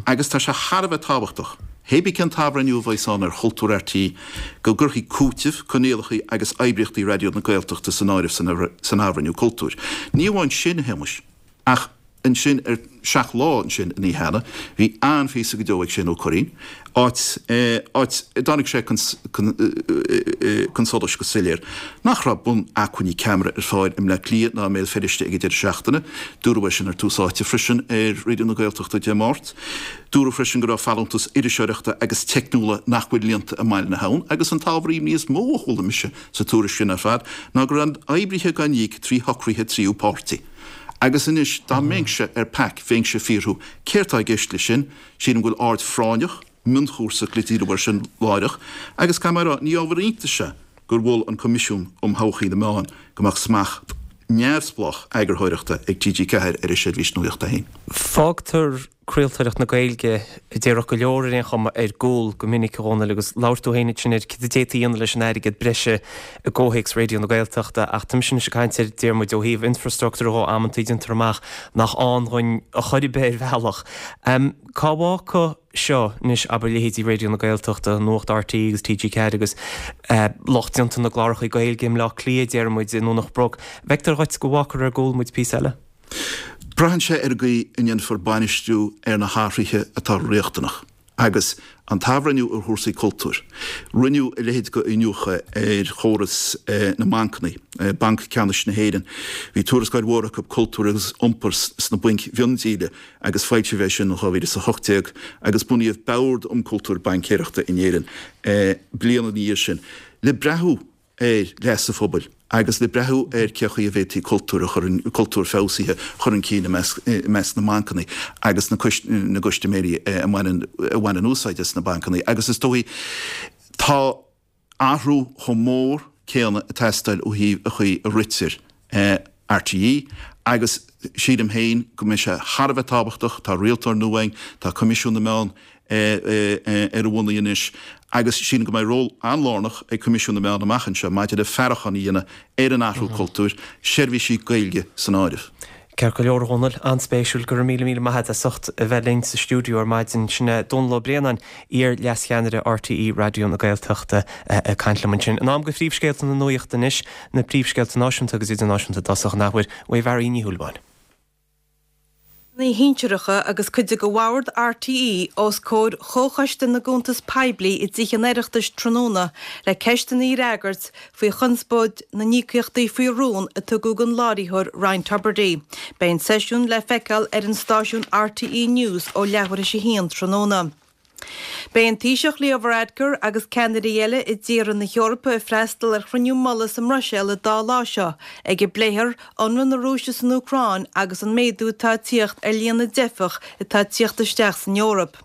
agus tá sé thar a bheith tábhachtach, hé bí cén t-athbhreithniú a bheas ann ar chultúr RTÉ, go gcuirfí cúiteamh, coinníollacha agus oibríochtaí Raidió na Gaeltachta san áireamh san athbhreithniú cultúir. Ní amháin sin, a Shéamais, ach ansin ar Seacht Lá ansin an oíche cheana, bhí an-phíosa go deo ag Shane Ó Curraoin, áit áit a dtáinig sé chun solais go soiléir nach raibh bun-acmhainní ceamara ar fáil i mBleá Cliath ná i mBéal Feirste ag an deireadh seachtaine. Dúradh é sin ar Tús Áite freisin ar Raidió na Gaeltachta Dé Máirt. Dúradh freisin go raibh folúntais iriseoireachta agus teicniúla nach bhfuil líonta i mBaile na hAbhann agus an t-ábhar imní is mó a chuala mise sa tuairisc sin ar fad ná go raibh oibrithe á n-íoc trí shocruithe tríú páirtí. Agus anois, dá mbeinnse ar pac, bheinnse ag fiafraí céard tá i gceist leis sin? Sílim go bhfuil aird phráinneach, mhionchúrasach le díriú air sin láithreach, agus caithfidh mé a rá, ní ábhar iontais é gur mhol an Coimisiún um Thodhchaí na Meán go mbeadh smacht neamhspleách eagarthóireachta ag TG Ceathair ar a seirbhís nuachta féin. Fágtar craoltóireacht na Gaeilge, a déarfadh go leor ar aon chuma, ar gcúl go minic, a Dhónaill, agus labhair tú féin ansin ar cad a d'fhéadfaí a dhéanamh leis an airgead breise i gcomhthéacs Raidió na Gaeltachta ach tá mise anois ag caint ar, deir muid, ó thaobh infrastruchtúir dhó amantaí déantar amach nach ann dhuinn a chor ar bith ar bhealach. Cá bhfágfadh seo anois, abair, leithéidí Raidió na Gaeltachta, Nuacht RTÉ agus TG Ceathair agus lucht déanta na gcláracha Gaeilge i mBleá Cliath, deir muid, i nDomhnach Broc. Feictear dhuit go bhfágfar ar gcúl muid píosa eile? Braitheann sé ar an gcaoi a ndéanfar bainistiú ar na hathruithe atá riachtanach agus an t-athbhreithniú ar chúrsaí cultúir. Rinneadh a leithéid de iniúchadh ar chóras na mbancanna, Banc Ceannais na hÉireann. Bhí tuarascáil mhór acu Cultúr agus Iompar sna Bainc Mhiondíola agus foilsíodh é sin in dhá mhíle is a hocht déag agus bunaíodh Bord um Chultúr Baincéireachta in Éirinn bliain ina dhiaidh sin le breathnú ar leas an phobail agus le breathnú ar cé chaoi a bhféadfaí cultúr a chur, cultúr feabhsaithe a chur chun cinn i measc, i measc na mbancanna agus na na gcustaiméirí a mbaineann, a bhaineann úsáid as na bancanna. Agus is dóigh, tá athrú chomh mór céanna ag teastáil ó thaobh an chaoi a ritear RTÉ agus sílim féin go mbeidh sé thar a bheith tábhachtach, tá rialtóir nua againn, tá Coimisiún na Meán ar a bhonnaí anois agus sílim go mbeidh ról an-lárnach ag Coimisiún na Meán amach anseo maidir le faireachán a dhéanamh ar an athrú cultúir, seirbhísí Gaeilge san áireamh. Ceart go leor, a Dhónaill. An-spéisiúil. Go raibh míle míle maith agat as ucht a bheith linn sa stiúideo ar maidin. Sin é Dónall Ó Braonáin, iar-Leas-Cheannaire RTÉ Raidió na Gaeltachta ag caint liom ansin. In am do phríomhscéalta na nuachta anois, na príomhscéalta náisiúnta agus idirnáisiúnta i dtosach an athuair uaidh Mhary Ní Shúilleabháin. Feidhmeannaigh shinsearacha agus cuid de bhord RTÉ os comhair Chomhchoiste na gCuntas Poiblí i dTithe an Oireachtais tráthnóna le ceisteanna a fhreagairt faoi chonspóid na n-íocaíochtaí faoi rún a tugadh don láithreoir Ryan Tubridy. Beidh an seisiún le feiceáil ar an stáisiún RTÉ News ó leathuair théis a haon tráthnóna. Beidh an Taoiseach Leo Varadkar agus ceannairí eile i dtíortha na hEorpa ag freastal ar chruinniú mullaigh sa mBruiséil an dá lá seo ag a bpléifear ionradh na Rúise san Úcráin agus an méadú atá ag tíocht ar líon na dteifeach atá ag tíocht isteach san Eoraip.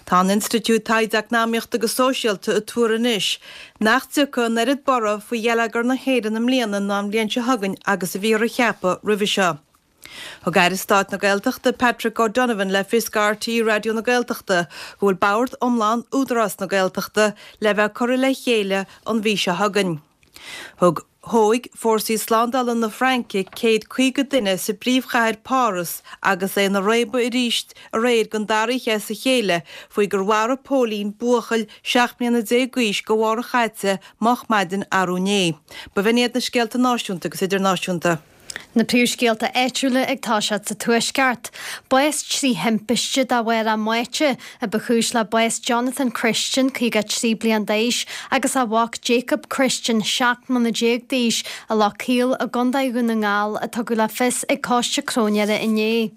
Tá an Institiúid Taighde Eacnamaíochta agus Sóisialta ag tuar anois nach dtiocfaidh an oiread borradh faoi gheilleagar na hÉireann i mbliana ná an bhliain seo chugainn agus a bhíothar a cheapadh roimhe seo. Thug Aire Stáit na Gaeltachta Patrick O'Donovan le fios do RTÉ Raidió na Gaeltachta go bhfuil bord iomlán Údarás na Gaeltachta le bheith curtha le chéile an mhí seo chugainn. Thug Thóg fórsaí slándála na Fraince céad caoga duine sa bpríomhchathair Páras agus é ina réabadh arís aréir don dara oíche as a chéile faoi gur mharaigh póilín buachaill seacht mbliana déag d'aois go mhárach chaite moch maidin arú inné. B'in iad na scéalta náisiúnta agus idirnáisiúnta. Na príomhscéalta áitiúla ag toiseacht sa Tuaisceart. Bás trí thimpiste de bharr a mbáite a ba chúis le bás Jonathan Christian, caoga a trí bliain d'aois, agus a mhac Jacob Christian, seacht mbliana déag d'aois, i Loch Caol i gContae Dhún na nGall, a tugadh le fios ag Coiste Cróinéara inné.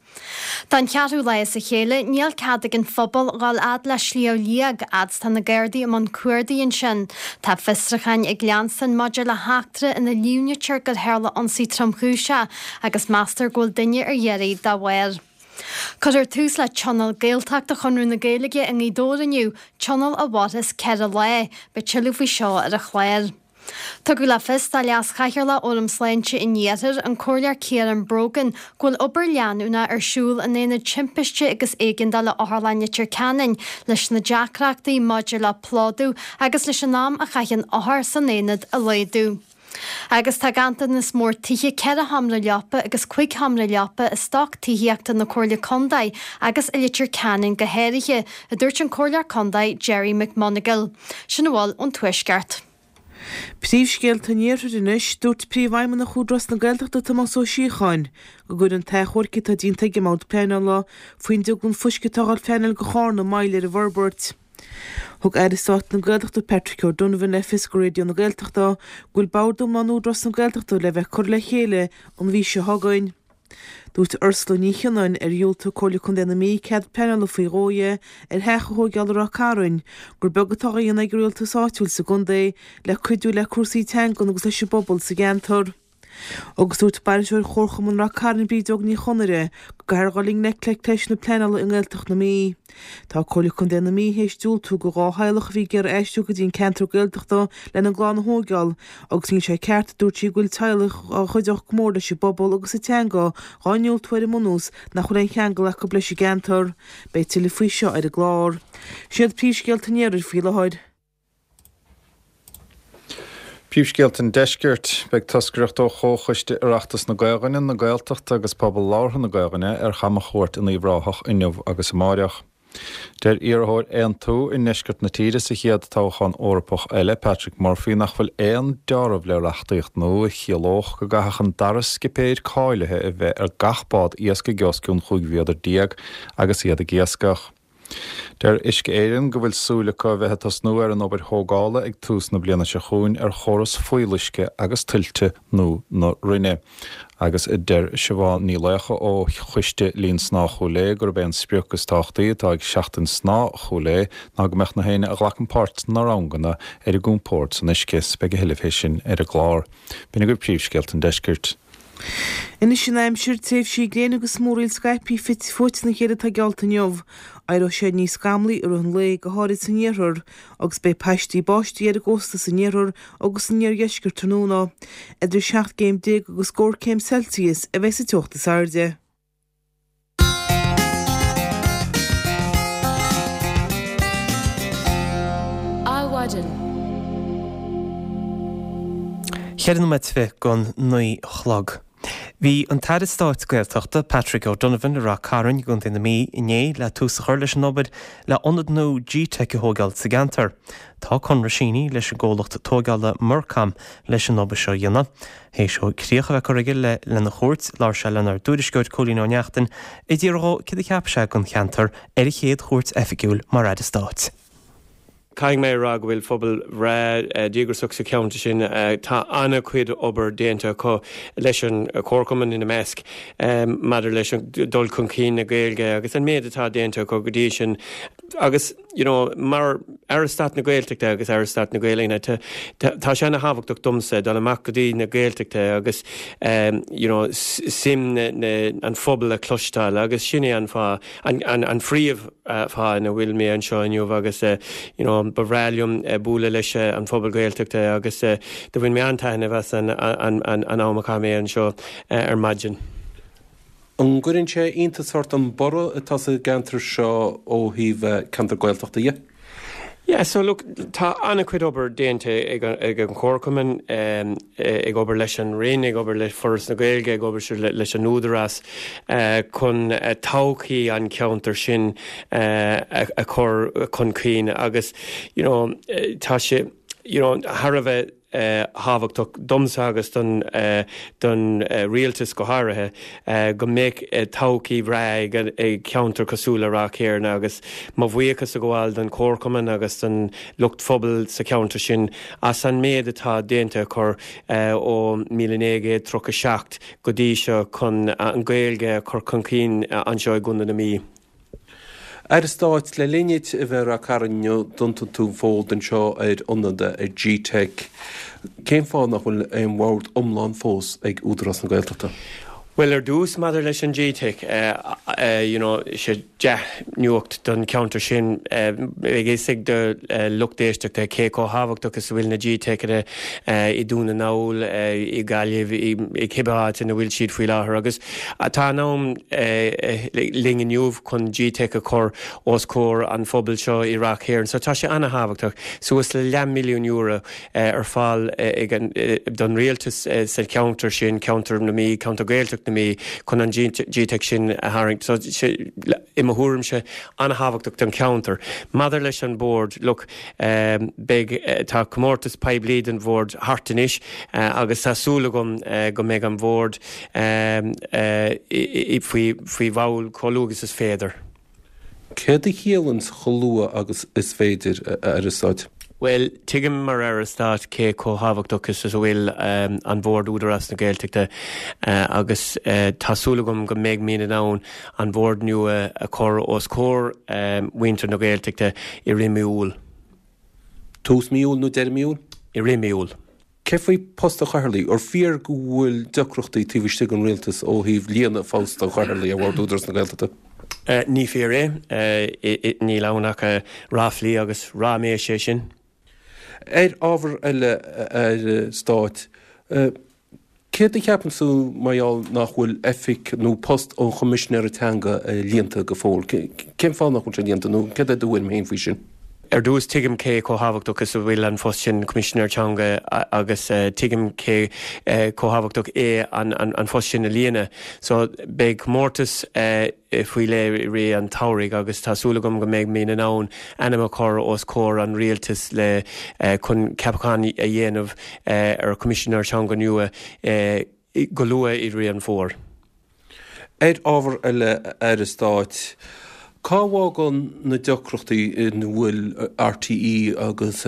Don cheathrú lá as a chéile, níl cead ag an phobal dhul fhad le Sliabh Liag, fhad 's tá na Gardaí i mbun cuardaigh ansin. Tá fiosrúcháin ag leanstan maidir le heachtra ina líomhnaítear gur tharla ionsaí tromchúiseach agus meastar go bhfuil duine ar iarraidh dá bharr. Cuirfear tús le Tionól Gaeltachta Chonradh na Gaeilge i nGaoth Dobhair inniu, tionól a mhairfeas ceithre lá. Beidh tuilleadh faoi seo ar an chlár. Tugadh le fios do Leas-Chathaoirleach Fhóram Sláinte an Iarthair, an Comhairleoir Ciarán Brogan, go bhfuil obair leanúnach ar siúl in Aonad Timpiste agus Éigeandála Otharlann Leitir Ceanainn leis na deacrachtaí maidir le plódú agus leis an am a chaitheann othair san aonad a laghdú. Agus tá ganntanas mór tithe ceithre sheomra leapa agus cúig sheomra leapa i stoc tithíochta na Comhairle Contae agus i Leitir Ceanainn go háirithe, a dúirt an Comhairleoir Contae Gerry McMonagle. Sin a bhfuil ón Tuaisceart. Príomhscéalta an Iarthair anois, Dúirt Príomhfheidhmeannach Údarás na Gaeltachta Tomás Ó Síocháin go gcuireann an t-achomharc atá déanta ag an mBord Pleanála faoin drioglann fuisce atá á phleanáil do Chárna moill ar an bhforbairt. Thug Aire Stáit na Gaeltachta Patrick O'Donovan le fios do Raidió na Gaeltachta go bhfuil Bord iomlán Údarás na Gaeltachta le bheith curtha le chéile an mhí seo chugainn. Dúirt Ursula Ní Chionnáin, ar dhiúltaigh Comhairle Contae na Mí cead pleanála faoi dhó di ar theach a thóigeáil i Ráth Cairn, gur beag atá á dhéanamh ag an rialtas áitiúil sa gcontae le cuidiú le cúrsaí teangan agus leis an bpobal sa gceantar. Agus dúirt bainisteoir Chomharchumann Ráth Cairn Brídeog Ní Chonaire go gcaithfear dhul i ngleic le ceist na pleanála i nGaeltacht na Mí. Tá Comhairle Contae na Mí théis diúltú do dhá theaghlach a bhí ag iarraidh aistriú go dtí an ceantar Gaeltachta lena gclann a thóigeáil agus níl sé ceart, a dúirt sí, go bhfuil teaghlaigh a chuideodh go mór leis an bpobal agus an teanga dhá ndiúltú ar an mbunús nach bhfuil aon cheangal acu leis an gceantar. Beidh tuilleadh faoi seo ar an gclár. Sin iad príomhscéalta an iarthair faoi láthair. Príomhscéalta an Deiscirt, Beidh toscaireacht ó Chomhchoiste Oireachtais na Gaelainne, na Gaeltachta agus Pobal Labhartha na Gaelainne ar chamchuairt in Uíbh Ráthach inniu agus amáireach. Deir iarrthóir Aontú i ndeisceart na tíre sa chéad toghchán Eorpach eile, Patrick Murphy, nach bhfuil aon deáramh le reachtaíocht nua a chiallódh go gcaithfeadh an dara scipéir cáilithe a bheith ar gach bád iascaigh os cionn chúig mhéadar déag agus iad ag iascach. Deir Uisce Éireann go bhfuil súil acu a bheith ag tosnú ar an obair thógála ag tús na bliana seo chugainn ar chóras fuíolluisce agus tuilte nua na Rinne. Agus deir Siobhán Ní Laocha ó Choiste Linn Snámha Chúil Aodha gurb é an sprioc is tábhachtaí atá ag Seachtain Snámha Chúil Aodha ná go mbeadh na héinne a ghlacann páirt sna ranganna ar a gcompord san uisce. Beidh a thuilleadh fé sin ar an gclár. B'in agaibh príomhscéalta an deiscirt. Anois an aimsir, tréimhsí gréine agus múraíl scaipthe fite fuaite ina chéile atá geallta inniu. Éireoidh sé níos scamlaí i rith an lae, go háirid san iarthar, agus beidh paistí báistí ar an gcósta san iarthar agus san iardheisceart tráthnóna. Idir seacht gcéim déag agus scór céim Celsius a bheidh sa teocht is airde. Adhmhaidin. Ceithre nóiméad fiche don naoi a chlog. Bhí an tAire Stáit Gaeltachta, Patrick O'Donovan i Ráth Cairn i gContae na Mí inné le tús a chur leis an obair le ionad nua G-Teic a thógáil sa gceantar. Tá conradh sínithe leis an gcomhlacht tógála Mercom leis an obair seo a dhéanamh. Théis dó críoch a bheith curtha aige le lena chuairt, labhair sé lenár dtuairisceoir Cóilín Ó Neachtain ag iarraidh dhó céard a cheap sé den cheantar ar a chéad chuairt oifigiúil mar Aire Stáit. Caithfidh mé a rá go bhfuil phobal bhreá díograiseach sa cheantar sin. Tá an-chuid obair déanta acu leis an Chomharchumann ina measc maidir leis an dul chun cinn na Gaeilge agus an méid atá déanta acu go dtí sin. Agus you know mar Aire Stáit na Gaeltachta agus Aire Stáit na Gaelainne tá sé ana-thábhachtach domsa dul amach go dtí na Gaeltachta agus you know suim an phobail a chloisteáil agus sin é an fáth, an phríomh fáth ina bhfuil mé anseo inniu agus you know ba bhreá liom bualadh leis an phobal Gaeltachta agus do bhain mé an-taitneamh as an an am a chaith mé anseo ar maidin. An gcuireann sé iontas ort an borradh atá sa gceantar seo ó thaobh ceantar Gaeltachta dhe? Yeah, so look, tá an-chuid obair déanta ag ag an Chomharchumann, ag obair leis an Roinn, ag obair le Foras na Gaeilge, ag obair leis an Údarás chun todhchaí an cheantair sin a chur chun cinn agus you know tá sé you know thar a bheith thábhachtach domsa agus don don rialtas go háirithe go mbeadh todhchaí bhreá ag ceantar cosúil le Ráth Cairn agus mo bhuíochas a ghabháil don Chomharchumann agus don lucht phobail sa cheantar sin as an méid atá déanta acu ó míle naoi gcéad tríocha seacht go dtí seo chun an Ghaeilge a chur chun cinn anseo i gContae na Mí. Aire Stáit, le linn duit a bheith i Ráth Cairn inniu, d'iontaigh tú an fód anseo ar ionad G-Teic. Cén fáth nach bhfuil aon bhord iomlán fós ag Údarás na Gaeltachta? Bhuel, ar dtús, maidir leis an G-Teic, you know, sé dea-nuacht don cheantar sin. Beidh fhios ag do lucht éisteachta cé chomh thábhachtach is a bhfuil na G-Teiceanna i Dún na nGall, i Gaillimh, i cibé áit ina bhfuil siad faoi láthair. Agus tá an am linn inniu chun G-Teic a chur os comhair an phobail seo i Ráth Chairn. So tá sé an-thábhachtach. Suas le leathmhilliún euro ar fáil don rialtas sa cheantar sin, ceantar na Mí, ceantar Gaeltacht na Mí, chun an G-Teic sin a tharraingt. So, i mo thuairimse, an-thábhachtach don cheantar. Maidir leis an bhord, look, beidh, tá comórtas poiblí don bhord thart anois agus tá súil agam go mbeidh an bhord faoi, faoi bhall chomh luath agus is féidir. Céard a chiallaíonn chomh luath agus is féidir, a Aire Stáit? Bhuel, tuigim mar Aire Stáit cé chomh thábhachtach is a bhfuil an Bhord Údarás na Gaeltachta agus tá súil agam go mbeidh muid in ann an Bhord nua a chur os comhair mhuintir na Gaeltachta i rith mí Iúil. Tús mí Iúil nó deireadh mí Iúil? I rith mí Iúil. Cé faoi post an Chathaoirligh? Ar fíor go bhfuil deacrachtaí taobh istigh den Rialtas ó thaobh líonadh phost an Chathaoirligh ar Bhord Údarás na Gaeltachta? Ní fíor é. Níl ann ach ráflaí agus ráiméis é sin. Ar ábhar eile, a Aire Stáit, céard a cheapann tú mar gheall nach bhfuil oifig nó post an Choimisinéara Teanga líonta go fóill? Cén fáth nach bhfuil sé líonta nó céard é do thuairim féin faoi sin? Ar dtús, tuigim cé chomh thábhachtach is a bhfuil an phost sin, Coimisinéir Teanga, agus tuigim cé chomh thábhachtach é an phost sin a líonadh. So, beidh comórtas faoi leith i rith an tsamhraidh agus tá súil agam go mbeidh muid in ann ainm a chur os comhair an Rialtais le chun ceapachán a dhéanamh ar Choimisinéir Teanga nua go luath i rith an fómhair. Ar ábhar eile, a Aire Stáit, cá bhfágann na deacrachtaí ina bhfuil RTÉ agus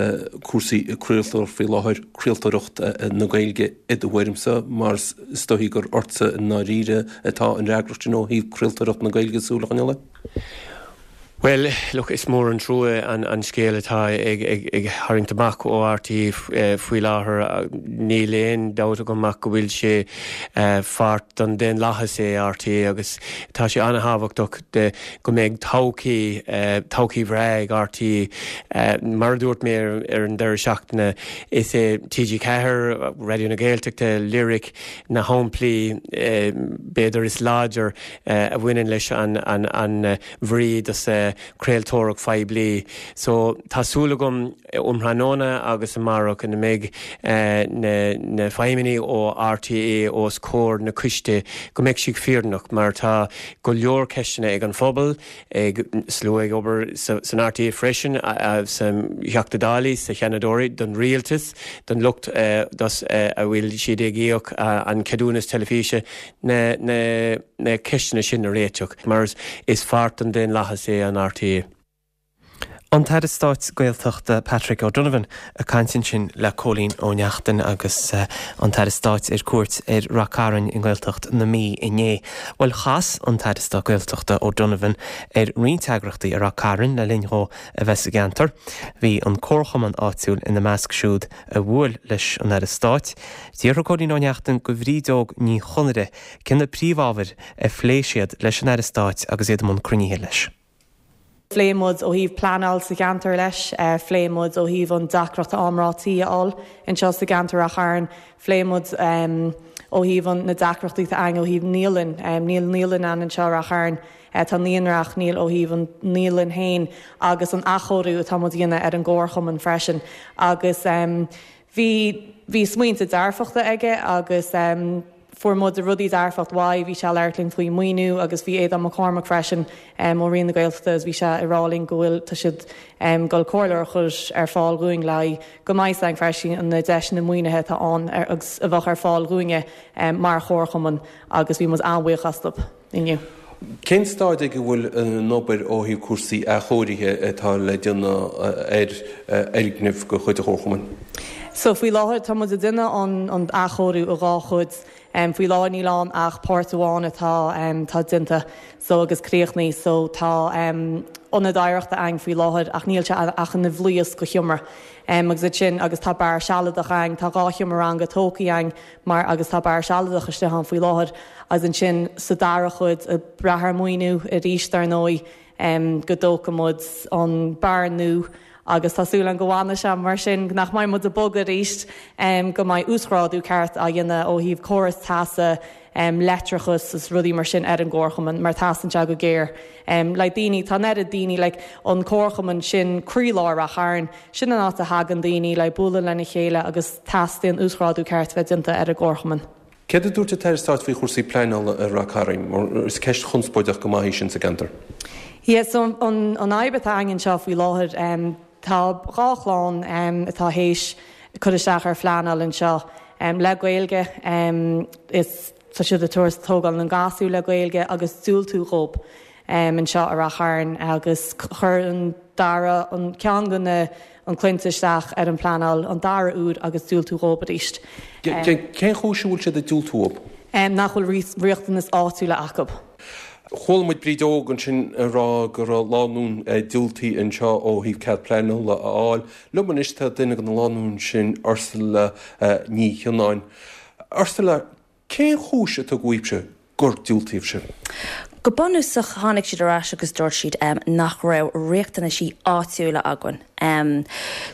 cúrsaí craoltóireacht faoi láthair craoltóireacht na Gaeilge i do thuairimse, mar is dóichí gur ortsa i ndáiríre atá an fhreagracht sin ó thaobh craoltóireacht na Gaeilge súil a choinneáil air? Bhuel, look, is mór an trua an scéal atá ag tharraingt amach ó RTÉ faoi láthair. Níl aon dabht agam ach go bhfuil sé pháirt den daonlathas é RTÉ agus tá sé an-thábhachtach go mbeidh todhchaí, todhchaí bhreá ag RTÉ. Mar a dúirt mé ar an deireadh seachtaine, is é TG Ceathair, Raidió na Gaeltachta, Lyric na shamplaí b'fhéidir is láidir a bhaineann leis an bhrí dos craoltóireacht phoiblí. So tá súil agam um thráthnóna agus amárach ina mbeidh na na feidhmeannaigh ó RTÉ os comhair na coiste go mbeidh siad fírinneach mar tá go leor ceisteanna ag an phobal, ag slua ag obair san RTÉ freisin, sa Theachta Dálaí, sa Sheanadóirí, don rialtas, don lucht dos a bhfuil siad ag íoc an ceadúnas teilifíse, na na na ceisteanna sin a réiteach mar is pháirt den daonlathas é an RTÉ. An tAire Stáit Gaeltachta Patrick O'Donovan ag caint ansin le Cóilín Ó Neachtain agus an tAire Stáit ar cuairt ar Rath Cairn i nGaeltacht na Mí inné. Bhuel chas an tAire Stáit Gaeltachta O'Donovan ar roinnt eagraíochtaí i Rath Cairn le linn dhó a bheith sa gceantar. Bhí an comharchumann áitiúil ina measc siúd a bhuail leis an Aire Stáit. D'fhiafraigh Cóilín Ó Neachtain go Bhrídeog Ní Chonaire cé na príomhábhair a phléigh siad leis an Aire Stáit agus iad i mbun cruinnithe leis. Phléigh muid ó thaobh pleanáil sa cheantar leis, phléigh muid ó thaobh an deacracht am rátaí a fháil anseo sa gceantar Rath Chairn, phléigh muid ó thaobh an na deacrachtaí atá ann ó thaobh naíolann, níl naíolann ann anseo Rath Chairn, tá naíonra ach níl ó thaobh an naíolann féin agus an athchóiriú atá muid a dhéanamh ar an gcomharchumann freisin agus bhí bhí smaointe dearfachta aige agus fuair muid rudaí dearfach uaidh, bhí sé ag labhairt linn faoi maoiniú agus bhí Aodán Mac Cormaic freisin ó Roinn na Gaeltachta agus bhí sé ag rá linn go bhfuil tá siad ag dul comhairle a chur ar fáil dhúinn le haghaidh go mbeidh againn freisin na deiseanna maoinithe atá ann agus a bheadh ar fáil dhúinne mar chomharchumann agus bhí muid an-bhuíoch astu inniu. Cén staid ag a bhfuil an obair ó thaobh cúrsaí athchóirithe atá le déanamh ar fhoirgnimh de chuid an Chomharchumainn? So faoi láthair tá muid ag déanamh an an athchóiriú i dhá chuid. Um, faoi láthair níl ann ach páirt amháin atá um, tá déanta so agus críochnaithe so tá um, ionad oidhreachta ann faoi láthair ach níl sé ach ina bhlaosc de sheomra. Um, agus sin agus tá beár sealadach ann tá dhá sheomra ranga tógtha ann mar agus tá beár sealadach istigh ann faoi láthair agus ansin sa dara chuid ag brath ar mhaoiniú arís dar ndóigh um, go dtógfaidh muid an beár nua agus tá súil agam go bhfanfaidh sé mar sin nach mbeidh muid ag bogadh arís um, go mbeidh uasghrádú ceart á dhéanamh ó thaobh córas teasa um, leictreachas is rudaí mar sin ar an gcomharchumann mar teastaíonn sé go géar. Um, le daoine tá nead daoine le an comharchumann sin croílár Ráth Chairn, sin an áit a thagann daoine le bualadh lena chéile agus teastaíonn uasghrádú ceart bheith déanta ar an gcomharchumann. Céard a dúirt an tAire Stáit faoi chúrsaí pleanála i Ráth Cairn, mar is ceist chonspóideach go maith í sin sa gceantar? Yes, so an, an fhadhb atá againn anseo faoi láthair um, tá dhá chlann um, atá théis cur isteach ar phleanáil anseo um, le Gaeilge um, is tá siad ag tabhairt tógáil na ngasúr le Gaeilge agus diúltú dhóibh um, anseo i Ráth Chairn agus chuir an dara an ceann de na an clainne isteach ar an pleanáil an dara huair agus diúltú dhóibh arís. Cén chúis a bhfuil siad ag diúltú dhóibh? Um, nach bhfuil riachtanas áitiúla acu. Chuala muid Bríd Óg ansin ag rá go raibh lánúin diúltaithe anseo ó thaobh cead pleanála a fháil. Liom anois tá duine de na lánúin sin Ursula Ní Chionnáin. Ursula, cén chúis a tugadh dhaoibhse gur diúltaíodh sibh? Go bunúsach tháinig siad ar ais agus dúirt siad um, nach raibh riachtanaisí áitiúla againn. Um,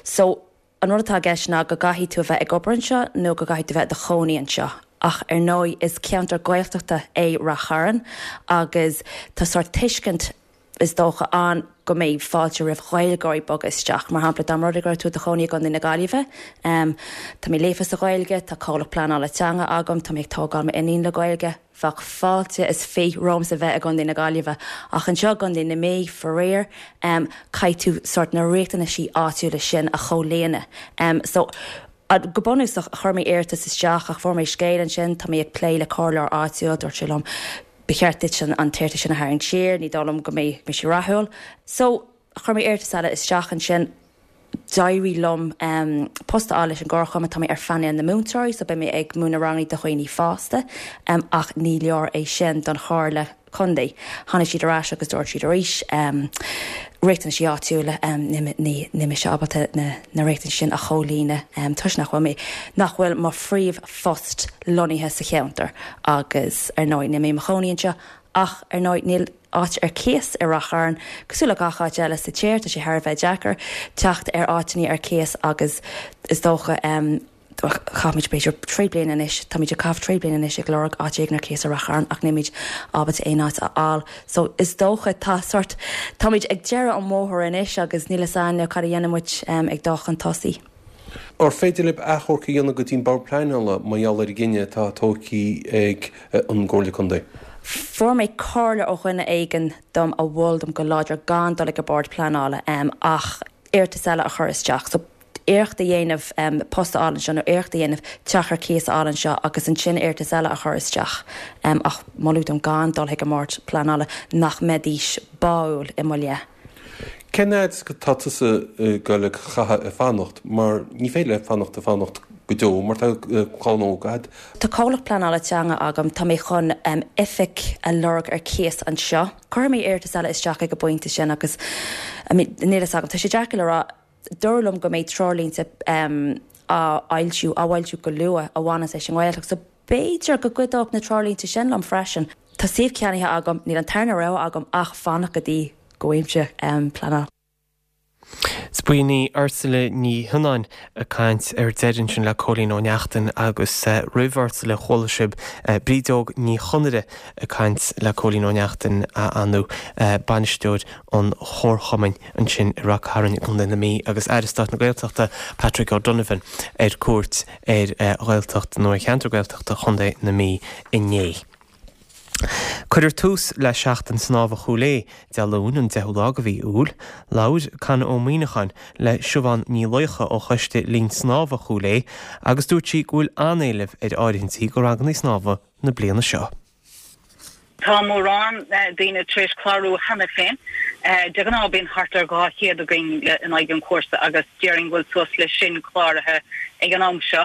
so an rud atá i gceist ná go gcaithfidh tú a bheith ag obair anseo nó go gcaithfidh tú bheith i do chónaí anseo. Ach ar ndóigh is ceantar Gaeltachta é Ráth Chairn agus tá sórt tuiscint is dócha ann go mbeidh fáilte roimh Ghaeilgeoirí bogadh isteach. Mar shampla dá mba rud é go raibh tú i do chónaí i gContae na Gaillimhe. Um, tá mé líofa sa Ghaeilge, tá comhlacht pleanála teanga agam, tá mé ag tógáil m'iníon le Gaeilge, bheadh fáilte is fiche romhamsa bheith i gContae na Gaillimhe. Ach anseo i gContae na Mí faraor um, caithfidh tú sórt na riachtanaisí áitiúla sin a chomhlíonadh. Um, so, go bunúsach chuir mé iarratas isteach ach fuair mé scéal ansin, tá mé ag plé le comhairleoir áitiúil, dúirt sé liom ba cheart duit an an t-iarratas sin a tharraingt siar, ní dóigh liom go mbeidh mé sé rathúil. So chuir mé iarratas eile isteach ansin d'éirigh liom um, post a fháil leis an gcomharchumann tá mé ar phainéal na múinteoirí, so beidh mé ag múineadh ranganna do dhaoine fásta, um, ach ní leor é sin don chomhairle contae. Tháinig siad ar ais agus dúirt siad arís um, riachtanaisí áitiúla um, ní ní mise ábalta na, na riachtanais sin a chomhlíonadh um, toisc nach bhfuil mé nach bhfuil mo phríomhphost lonnaithe sa cheantar agus ar ndóigh níl mé i mo chónaí anseo ach ar ndóigh níl áit ar cíos i Ráth Chairn, cosúil le gach áit eile sa tír tá sé thar a bheith deacair teacht ar áiteanna ar cíos agus is dócha um, chaithimid b'fhéidir trí bliana anois táimid ag caitheamh trí bliana anois ag lorg áit éigin ar cíos i Ráth Chairn ach nílimid ábalta aon áit a fháil. So is dócha tá sort táimid ag deireadh an bhóthair anois agus níl a fhios againn cad a dhéanfaidh muid um, ag dul chun tosaigh. Ar féidir libh achomharc a dhéanamh go dtí an bord pleanála mar gheall ar an gcinneadh atá tógtha ag an gComhairle Contae. Fuair mé comhairle ó dhuine éigin dom a mhol dom go láidir gan dul ag an bord pleanála um, ach iarratas eile a chur isteach. So iarracht a dhéanamh um, post a fháil anseo nó iarracht a dhéanamh teach ar cíos a fháil anseo agus ansin iarratas eile a chur isteach. Um, ach moladh dom gan dul chuig an mbord pleanála nach mbeidís báúil i mo leith. Cén fhad atá tusa ag dul a chaitheamh ag fanacht mar ní féidir le fanacht ag fanacht go deo mar tá clann óg agat. Tá comhlacht pleanála teanga agam tá mé chun um, oifig a lorg ar cíos anseo. Chuir mé iarratas eile isteach ag an bpointe sin agus níl a fhios agam tá sé deacair le rá dúradh liom go mbeidh treoirlínte um, á fhoilsiú á bhfoilsiú go luath a bhaineann leis an nGaeltacht, so b'fhéidir go gcuideodh na treoirlínte sin liom freisin. Tá suíomh ceannaithe agam, níl an tarna rogha agam ach fanacht go dtí go bhfaighimse um, pleanáil. 'S b'in í Ursula Ní Thionáin ag caint ar deireadh sin le Cóilín Ó Neachtain agus uh, roimh Ursula chuala sibh uh, Brídóg Ní Chonaire ag caint le Cóilín Ó Neachtain a anu uh, bainisteoir an Chomharchumainn ansin i Ráth Cairn Contae na Mí agus Aire Stáit na Gaeltachta Patrick O'Donovan ar cuairt ar uh, Ghaeltacht nó ar cheantar Gaeltachta Chontae na Mí inné. Cuirfear tús le seachtain snámha Chúil Aodha Dé Luain an deichiú lá de mhí Iúil, labhair Con Ó Muíneacháin le Siobhán Ní Laocha ó choiste linn snámha Chúil Aodha agus dúirt sí go bhfuil an-éileamh ar áirithintí do ranganna snámha na bliana seo. Tá mórán daoine tar éis clárú cheana féin. De ghnáth bíonn thart ar dhá chéad againn in aghaidh an chúrsa agus déarfainn go bhfuil suas le sin cláraithe ag an am seo.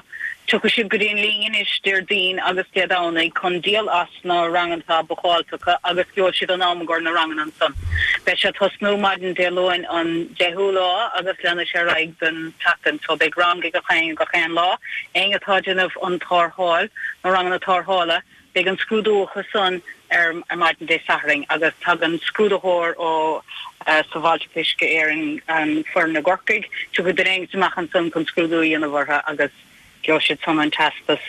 Tiocfaidh siad go dtí an linn anois Déardaoin agus Dé Domhnaigh chun díol as na ranganna atá bookáilte acu agus gheobhaidh siad an am i gcomhair na ranganna ansan. Beidh sé ag tosnú maidin Dé Luain an deichiú lá agus leanfaidh sé ar aghaidh don tseachtain so beidh rang ag gach éinne gach aon lá. Éinne atá ag déanamh an tarrtháil, na ranganna tarrthála, Beidh an scrúdú acu san ar maidin Dé Sathairn agus tagann scrúdaitheoir ó Sábháilteacht Uisce Éireann, an foireann i gCorcaigh, tiocfaidh duine éigint amach ansan chun scrúdú a dhéanamh orthu agus gheobhaidh siad san an teastas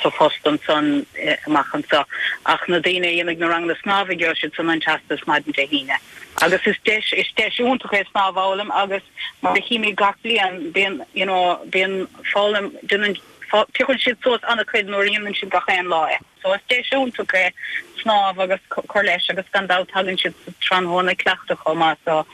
sa phost ansan amach anso. Ach na daoine a dhéanfaidh na ranganna snámha gheobhaidh siad san an teastas maidin Dé hAoine. Agus is deis, is deis iontach é snámh a fhoghlaim agus mar a chímid gach bliain bíonn, you know, bíonn foghlaim, déanann, Piocann siad suas an-chuid nuair a dhéanann siad gach aon lá é. So is deis iontach é snámh agus cur leis agus gan dabht tagann siad sa tráthnóna ag cleachtadh chomh maith so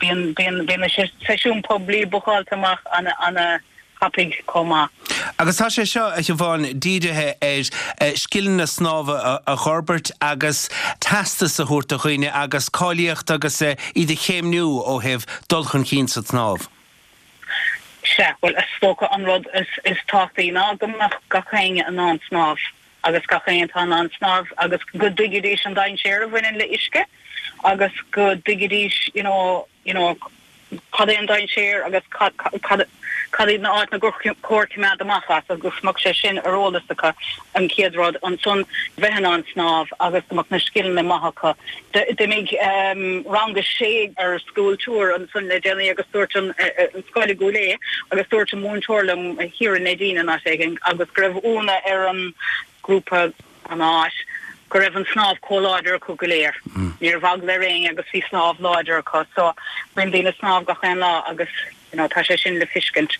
bíonn bíonn bíonn na seisiúin poiblí bookáilte amach ana ana thapaidh chomh maith. Agus tá sé seo, a Shiobhán, dírithe ar scileanna snámha a fhorbairt agus teastas a thabhairt do dhaoine agus cáilíocht agus iad a chéimniú ó thaobh dul chun cinn sa tsnámh. Sea, bhuel, is dócha an rud is tábhachtaí ná go mbeadh gach éinne in ann snámh agus gach éinne atá in ann snámh agus go dtuigfidís an dainséar a bhaineann le uisce agus go dtuigfidís you know, you know, cad é an dainséar agus cad, cad, cad iad na áiteanna gur chóir coimeád amach as agus go mbeadh sé sin ar eolas acu an chéad rud, ansan bheith in ann snámh agus go mbeadh na scileanna maith acu. D'imigh rang a sé ar school tour ansan le déanaí agus dúirt an scoil i gCúil Aodha agus dúirt an múinteoir liom thiar i Neidín in áit éigin agus go raibh ionadh ar an grúpa an áit go raibh an snámh chomh láidir acu go léir. Ní raibh eagla ar éinne agus bhí snámh láidir acu so bíonn daoine ag snámh gach aon lá agus you know tá sé sin le fiscint.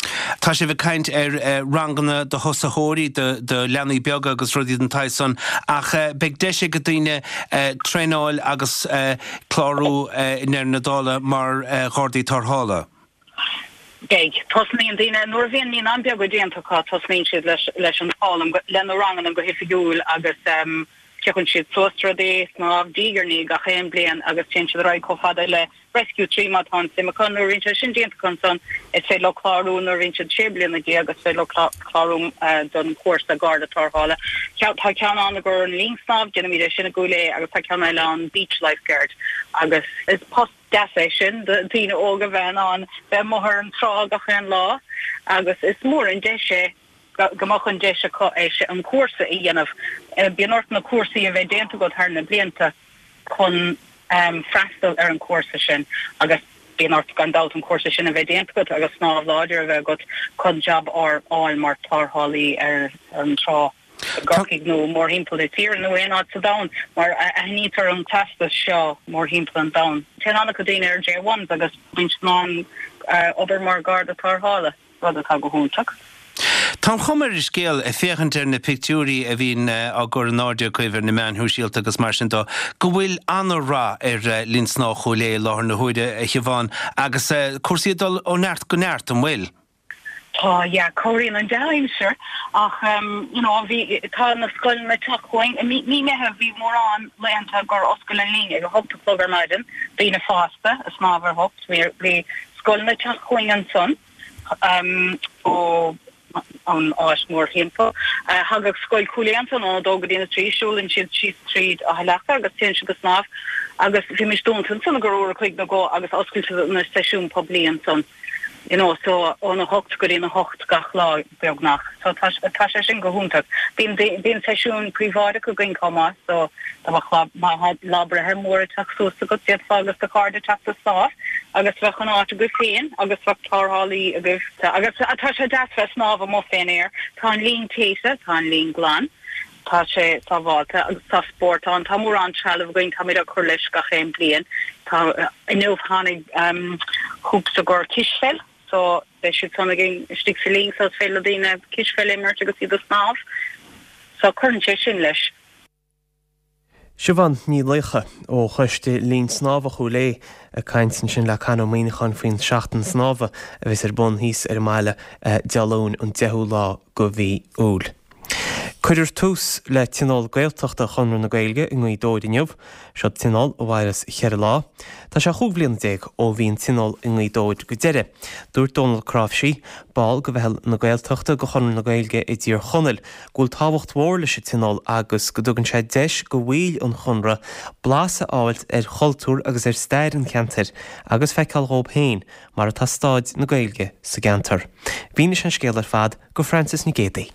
Tá sibh ag caint ar ranganna do thosaitheoirí, do leanaí beaga agus rudaí den tsaghas san ach beidh deis ag daoine traenáil agus clárú i ndeireadh na dála mar Ghardaí Tarrthála. Beidh. Tosnaíonn daoine, nuair a bhíonn naíonáin beaga déanta acu, tosnaíonn siad leis leis an foghlaim, le na ranganna go hoifigiúil agus piocann siad suas rudaí, snámh, diaidh ar ndiaidh gach aon bliain agus téann siad ar aghaidh chomh fada le Rescue trí má tá an suim acu. Nuair a bhíonn sé sin déanta acu ansan, is féidir leo clárú nuair a bhíonn siad sé bliana déag, is féidir leo clárú don chúrsa Garda Tarrthála. Tá ceann ann i gcomhair an linn snámh, déanaimid é sin i gCúil Aodha agus tá ceann eile ann Beach Lifeguard agus is post deas é sin do dhaoine óga bheith in ann bheith amuigh ar an trá gach aon lá agus is mór an deis é go mbeadh an deis acu é sin, an cúrsa a dhéanamh. Bíonn ort na cúrsaí a bheith déanta agat thar na blianta chun freastal ar an chúrsa sin agus bíonn ort gan dabht an cúrsa sin a bheith déanta agat agus snámh láidir a bheith agat chun jab a fháil mar tarrthálaí ar an trá. i gCorcaigh nó mórthimpeall na tíre nó aon áit sa domhan mar aithnítear an teastas seo mórthimpeall an domhain. Téann an-chuid daoine ar J ones agus bíonn siad in ann obair mar Gharda Tarrthála, rud atá go hiontach. Tá an chuma ar an scéal, ag féachaint ar na pictiúirí a bhíonn á gcur in airde agaibh ar na meáin shóisialta agus mar sin de, go bhfuil an-rath ar Linn Snámha Chúil Aodha i láthair na huaire, a Shiobhán, agus cúrsaí ag dul ó neart go neart, an bhfuil? Tá, yeah, cabhraíonn an dea-aimsir ach you know bhí, tá na scoileanna ag teacht chugainn. I mí Meitheamh bhí mórán laethanta gur oscail an linn ag a hocht a chlog ar maidin, daoine fásta ag snámh ar hocht, bhí, bhí scoileanna ag teacht chugainn ansan ó an áit mórthimpeall. Thagadh Scoil Chúil Aodha ansan óna dó go dtí na trí, siúlann siad síos tríd Áth Leaca agus téann siad ag snámh agus bhí muid dúnta ansan i gcomhair uair a chloig nó dhó agus oscailte na seisiúin poiblí ansan. you know so óna hocht go dtí na hocht gach lá beagnach so tá tá sé sin go hiontach. Bíonn bíonn seisiún príobháideach againn chomh maith so dá mbeadh lá má lá breithe mór ag teacht suas agat d'fhéadfá agus do chairde teacht ag snámh agus bheadh an áit agaibh féin agus bheadh tarrthálaí agaibh agus tá sé deas bheith ag snámh amuigh fén aer. Tá an linn téite, tá an linn glan. Tá sé sábháilte agus tá spórt ann. Tá mórán trealamh againn, táimid ag cur leis gach aon bliain. Tá, inniu tháinig hoops i gcomhair cispheil so beidh siad san againn istigh sa linn so is féidir le daoine cispheil a imirt agus iad ag snámh. So cuireann sé sin leis. Siobhán Ní Laocha ó Choiste Linn Snámha Chúil Aodha ag caint ansin le Con Ó Muíneacháin faoin Seachtain Snámha a bheas ar bun thíos ar an mbaile Dé Luain an deichiú lá de mhí Iúil. Cuirfear tús le Tionól Gaeltachta Chonradh na Gaeilge i nGaoth Dobhair inniu. Seo tionól a mhairfeas cheithre lá. Tá sé chúig bhliana déag ó bhí an tionól i nGaoth Dobhair go deireadh. Dúirt Dónal Cnáimhsí, ball de Mheitheal na Gaeltachta de Chonradh na Gaeilge i dTír Chonaill, go bhfuil tábhacht mhór leis an tionól agus go dtugann sé deis do bhaill an Chonradh blas a fháilt ar chultúr agus ar stair an cheantair agus feiceáil dhóibh féin mar atá staid na Gaeilge sa gceantar. Mhínigh sé an scéal ar fad do Frances Nic Géadaigh.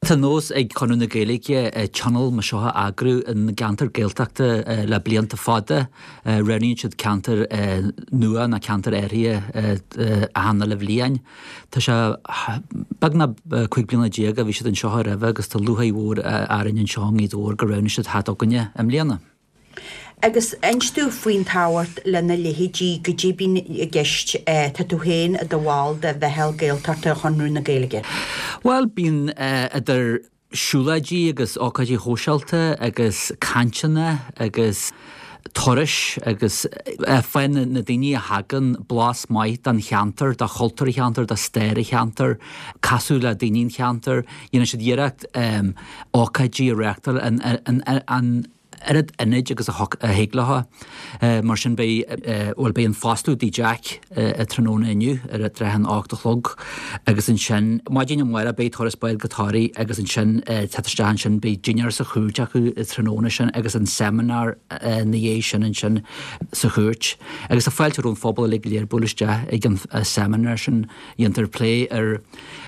Tá nós ag Conradh na Gaeilge tionól mar seo a eagrú in gceantar Gaeltachta le blianta fada. Roghnaíonn siad ceantar nua nó ceantar áirithe achan uile bhliain. Tá sé beagnach cúig bliana déag a bhí siad anseo roimhe agus tá lúcháir mhór orainn anseo i nGaoth Dobhair gur roghnaigh siad theacht chugainne i mbliana. Agus inis dúinn faoin tábhacht lena leithéidí, goidé bíonn i gceist, tá tú féin i do bhall de Mheitheal Gaeltachta Chonradh na Gaeilge. Bhuel, bíonn idir siúlóidí agus ócáidí shóisialta agus cainteanna agus turais agus faigheann na daoine a thagann blas maith den cheantar, de chultúr an cheantair, de stair an cheantair, casadh le daoine an cheantair. Dhéanann siad iarracht ócáidí a reáchtáil an oiread ionaid agus a thig leo. Mar sin beidh, bhuel beidh an foscladh i dTigh Jack tráthnóna inniu ar tráth an ocht a chlog agus ansin maidin amárach beidh turas báid go Toraigh agus ansin teacht isteach ansin beidh dinnéar sa chúirt acu tráthnóna sin agus an seimineár ina dhiaidh sin ansin sa chúirt. Agus tá fáilte roimh an phobal uilig go léir bualadh isteach ag an seimineár sin. Dhéantar plé ar.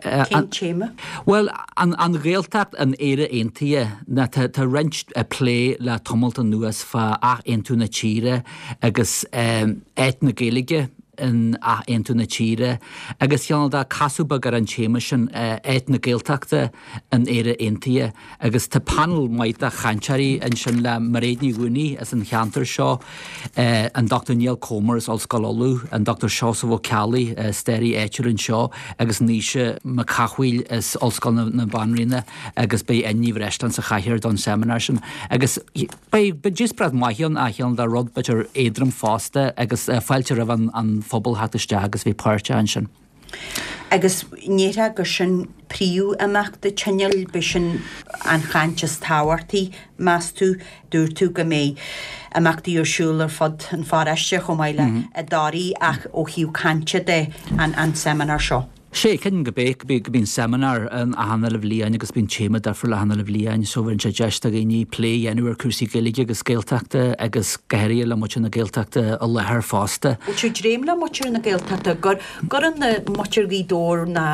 Cén téama? Bhuel, an Ghaeltacht in Éire Aontaithe. Ná tá tá roinnt plé le tamalt anuas fá athaontú na tíre agus áit na Gaeilge in athaontú na tíre agus cineál de casadh beag ar an téama sin, áit na Gaeltachta in Éire Aontaithe. Agus tá panel maith de chainteoirí ansin le Mairéad Ní Mhaonaigh as an cheantar seo, an Dochtúir Niall Comer as Ollscoil Uladh, an Dochtúir Seosamh Ó Ceallaigh, staraí áitiúil anseo, agus Naoise Mac Cathmhaoil as Ollscoil na Banríona agus beidh Áine Ní Bhreisleáin sa chathaoir don seimineár sin. Agus beidh díospóireacht maith ann, a chineál de rud b'fhéidir éadrom fosta agus fáilte roimh an phobal theacht isteach agus bheith páirteach ansin. Agus an ndéarfá gur sin príomhimeacht an tionóil, b'shin an chaint is tábhachtaí, meas tú? Dúirt tú go mbeidh imeachtaí ar siúl ar fud an pharóiste chomh maith le i dToraigh ach ó thaobh cainte de, an seimineár seo. Sea, creidim go mbeidh, go mbíonn seimineár ann achan uile bhliain agus bíonn téama difriúil achan uile bhliain so bhíonn sé deis do dhaoine plé a dhéanamh ar cúrsaí Gaeilge agus Gaeltachta agus go háirithe le muintir na Gaeltachta i láthair fosta. Bhfuil tú ag dréim le muintir na Gaeltachta gur gcuireann na muintir Ghaoth Dobhair ná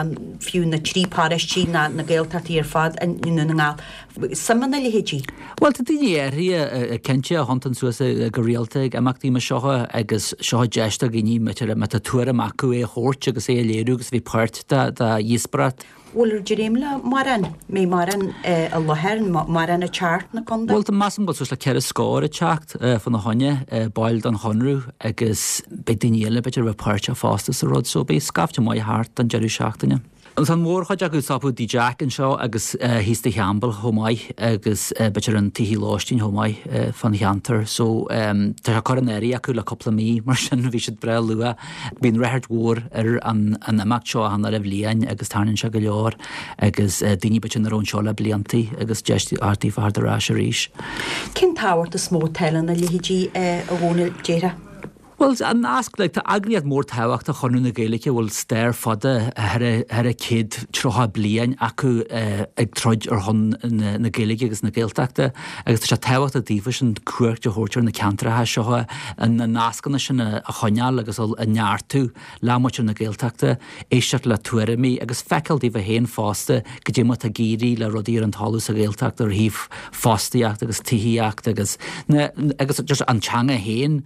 fiú na trí paróistí ná na Gaeltachtaí ar fad i nDún na nGall suim ina leithéidí? Bhuel tá daoine áirithe cinnte a thiontann suas go rialta ag imeachtaí mar seo agus seo deis do dhaoine má tá tuairim acu é a thabhairt agus é a léiriú agus a bheith páirt de dhíospóireacht. Bhfuil ag dréim le mórán, mbeidh mórán i láthair, mórán ag teacht 'na contae? Bhuel, measaim go bhfuil suas le ceithre scór ag teacht fána choinne, baill den Chonradh agus beidh daoine eile b'fhéidir a bheith páirteach fosta sa rud so beidh scaifte maith thart don deireadh seachtaine. Tá an mhórchuid acu ag stopadh i dTigh Jack anseo agus thíos Tigh Champbell chomh maith agus b'fhéidir an tithe lóistín chomh maith fán cheantar. So tá sé curtha in áirithe acu le cúpla mí mar sin bhí siad breá luath. Bíonn ráchairt mhór ar an imeacht seo achan uile bhliain agus tarraingíonn sé go leor agus daoine b'fhéidir nach raibh anseo le bliantaí agus deis daofa theacht ar ais arís. Cén tábhacht is mó atá lena leithéidí a Dhónaill, déarfá? Bhuel, an nasc, like, tá eagraíocht mór tábhachtach Chonradh na Gaeilge a bhfuil stair fada thar a céad tríocha bliain acu ag troid ar shon na Gaeilge agus na Gaeltachta agus tá sé tábhachtach daofa sin cuairt a thabhairt ar na ceantracha seo, na nascanna sin a choinneáil agus a neartú le muintir na Gaeltachta, éisteacht le tuairimí agus feiceáil daofa féin fosta goidé mar atá ag éirí le rudaí ar an talamh sa Ghaeltacht ar thaobh fostaíocht agus tithíocht agus na agus just an teanga féin.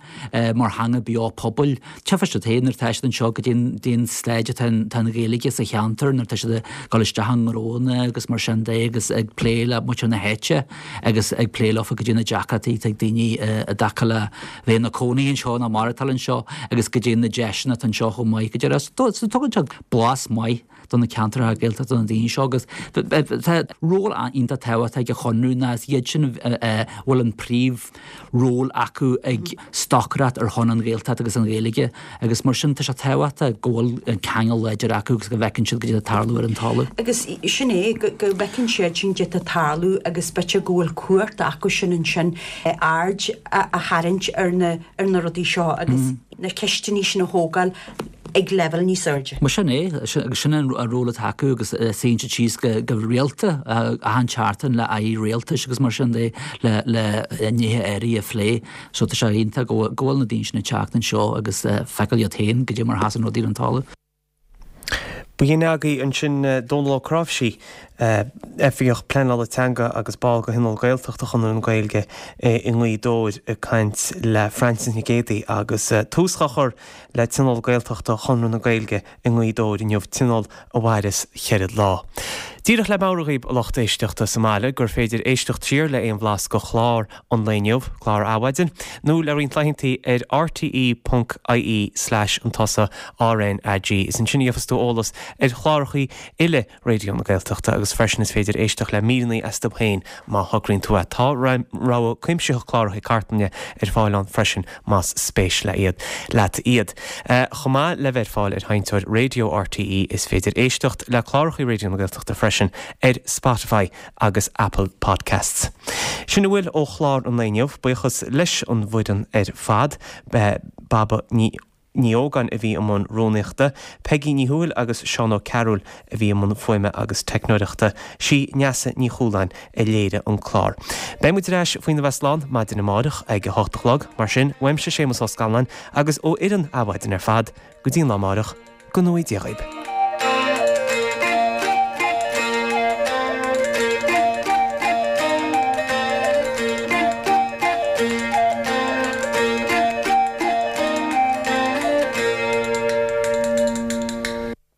mar theanga beo pobail. Tchífidh siad féin nuair atá siad anseo goidé an staid atá an Ghaeilge sa cheantar nuair atá siad ag dul isteach i ngnónna agus mar sin de agus ag plé le muintir na háite agus ag plé leofa goidé na deacrachtaí atá ag daoine i dtaca le bheith ina cónaí anseo nó maireachtáil anseo agus goidé na deiseanna atá anseo chomh maith. Go deimhin, so tugann siad blas maith do na ceantracha Gaeltachta do na daoine seo agus tá ról iontach tábhachtach ag an Chonradh ná is iad sin a bhfuil an príomh ról acu ag stocaireacht ar shon an Ghaeltacht agus an Ghaeilge agus mar sin tá sé tábhachtach go bhfuil an ceangal láidir acu agus go bhfeiceann siad goidé atá ag tarlú ar an talamh. Agus sin é, go bhfeiceann siad sin goidé atá ag tarlú agus b'fhéidir go bhfuil cumhacht acu sin ansin aird a tharraingt ar na ar na rudaí seo agus na ceisteanna sin a thógáil ag leibhéal níos airde. Mar sin é, agus sin an ról atá acu agus suíonn siad síos go rialta achan tseachtain le airí rialtais agus mar sin de le le nithe áirithe a phlé. So tá sé iontach go bhfuil na daoine sin ag teacht anseo agus feiceáil iad féin goidé mar a sheasann rudaí ar an talamh. B'in agaibh ansin Dónal Ó Cnáimhsí, Oifigeach Pleanála Teanga agus ball de Thionól Gaeltachta Chonradh na Gaeilge i nGaoth Dobhair ag caint le Frances Nic Géadaigh agus tús á chur le Tionól Gaeltachta Chonradh na Gaeilge i nGaoth Dobhair inniu, tionól a mhairfeas cheithre lá. Díreach le meabhrú dhaoibh a lucht éisteachta sa mbaile gur féidir éisteacht siar le aon bhlas de chlár an lae inniu, clár Adhmhaidin, nó le roinnt laethantaí ar rte ponc ie slash an tusa RnaG. Is ansin a gheofas tú eolas ar chlárachaí uile Raidió na Gaeltachta agus freisin is féidir éisteacht le míreanna astu féin má thograíonn tú é. Tá rogha cuimsitheach cláracha cartlainne ar fáil ann freisin más spéis le iad leat iad. Chomh maith le bheith ar fáil ar sheinnteoir raidió RTÉ is féidir éisteacht le cláracha Raidió na Gaeltachta freisin ar Spotify agus Apple Podcasts. Sin a bhfuil ó chlár an lae inniu, buíochas leis an bhfoireann ar fad, Baba Ní Ní Ógáin a bhí i mbun rúnaíochta, Peigí Ní Thuathail agus Seán Ó Cearúil a bhí i mbun fuaime agus teicneoireachta, sí Neasa Ní Chualáin a léirigh an clár. Beidh muid ar ais faoina bheith slán maidin amárach ag a hocht a chlog, mar sin, uaimse Séamus Ó Scanláin agus ó fhoireann Adhmhaidin ar fad, go dtí an lá amárach, go ngnóthaí Dia dhaoib.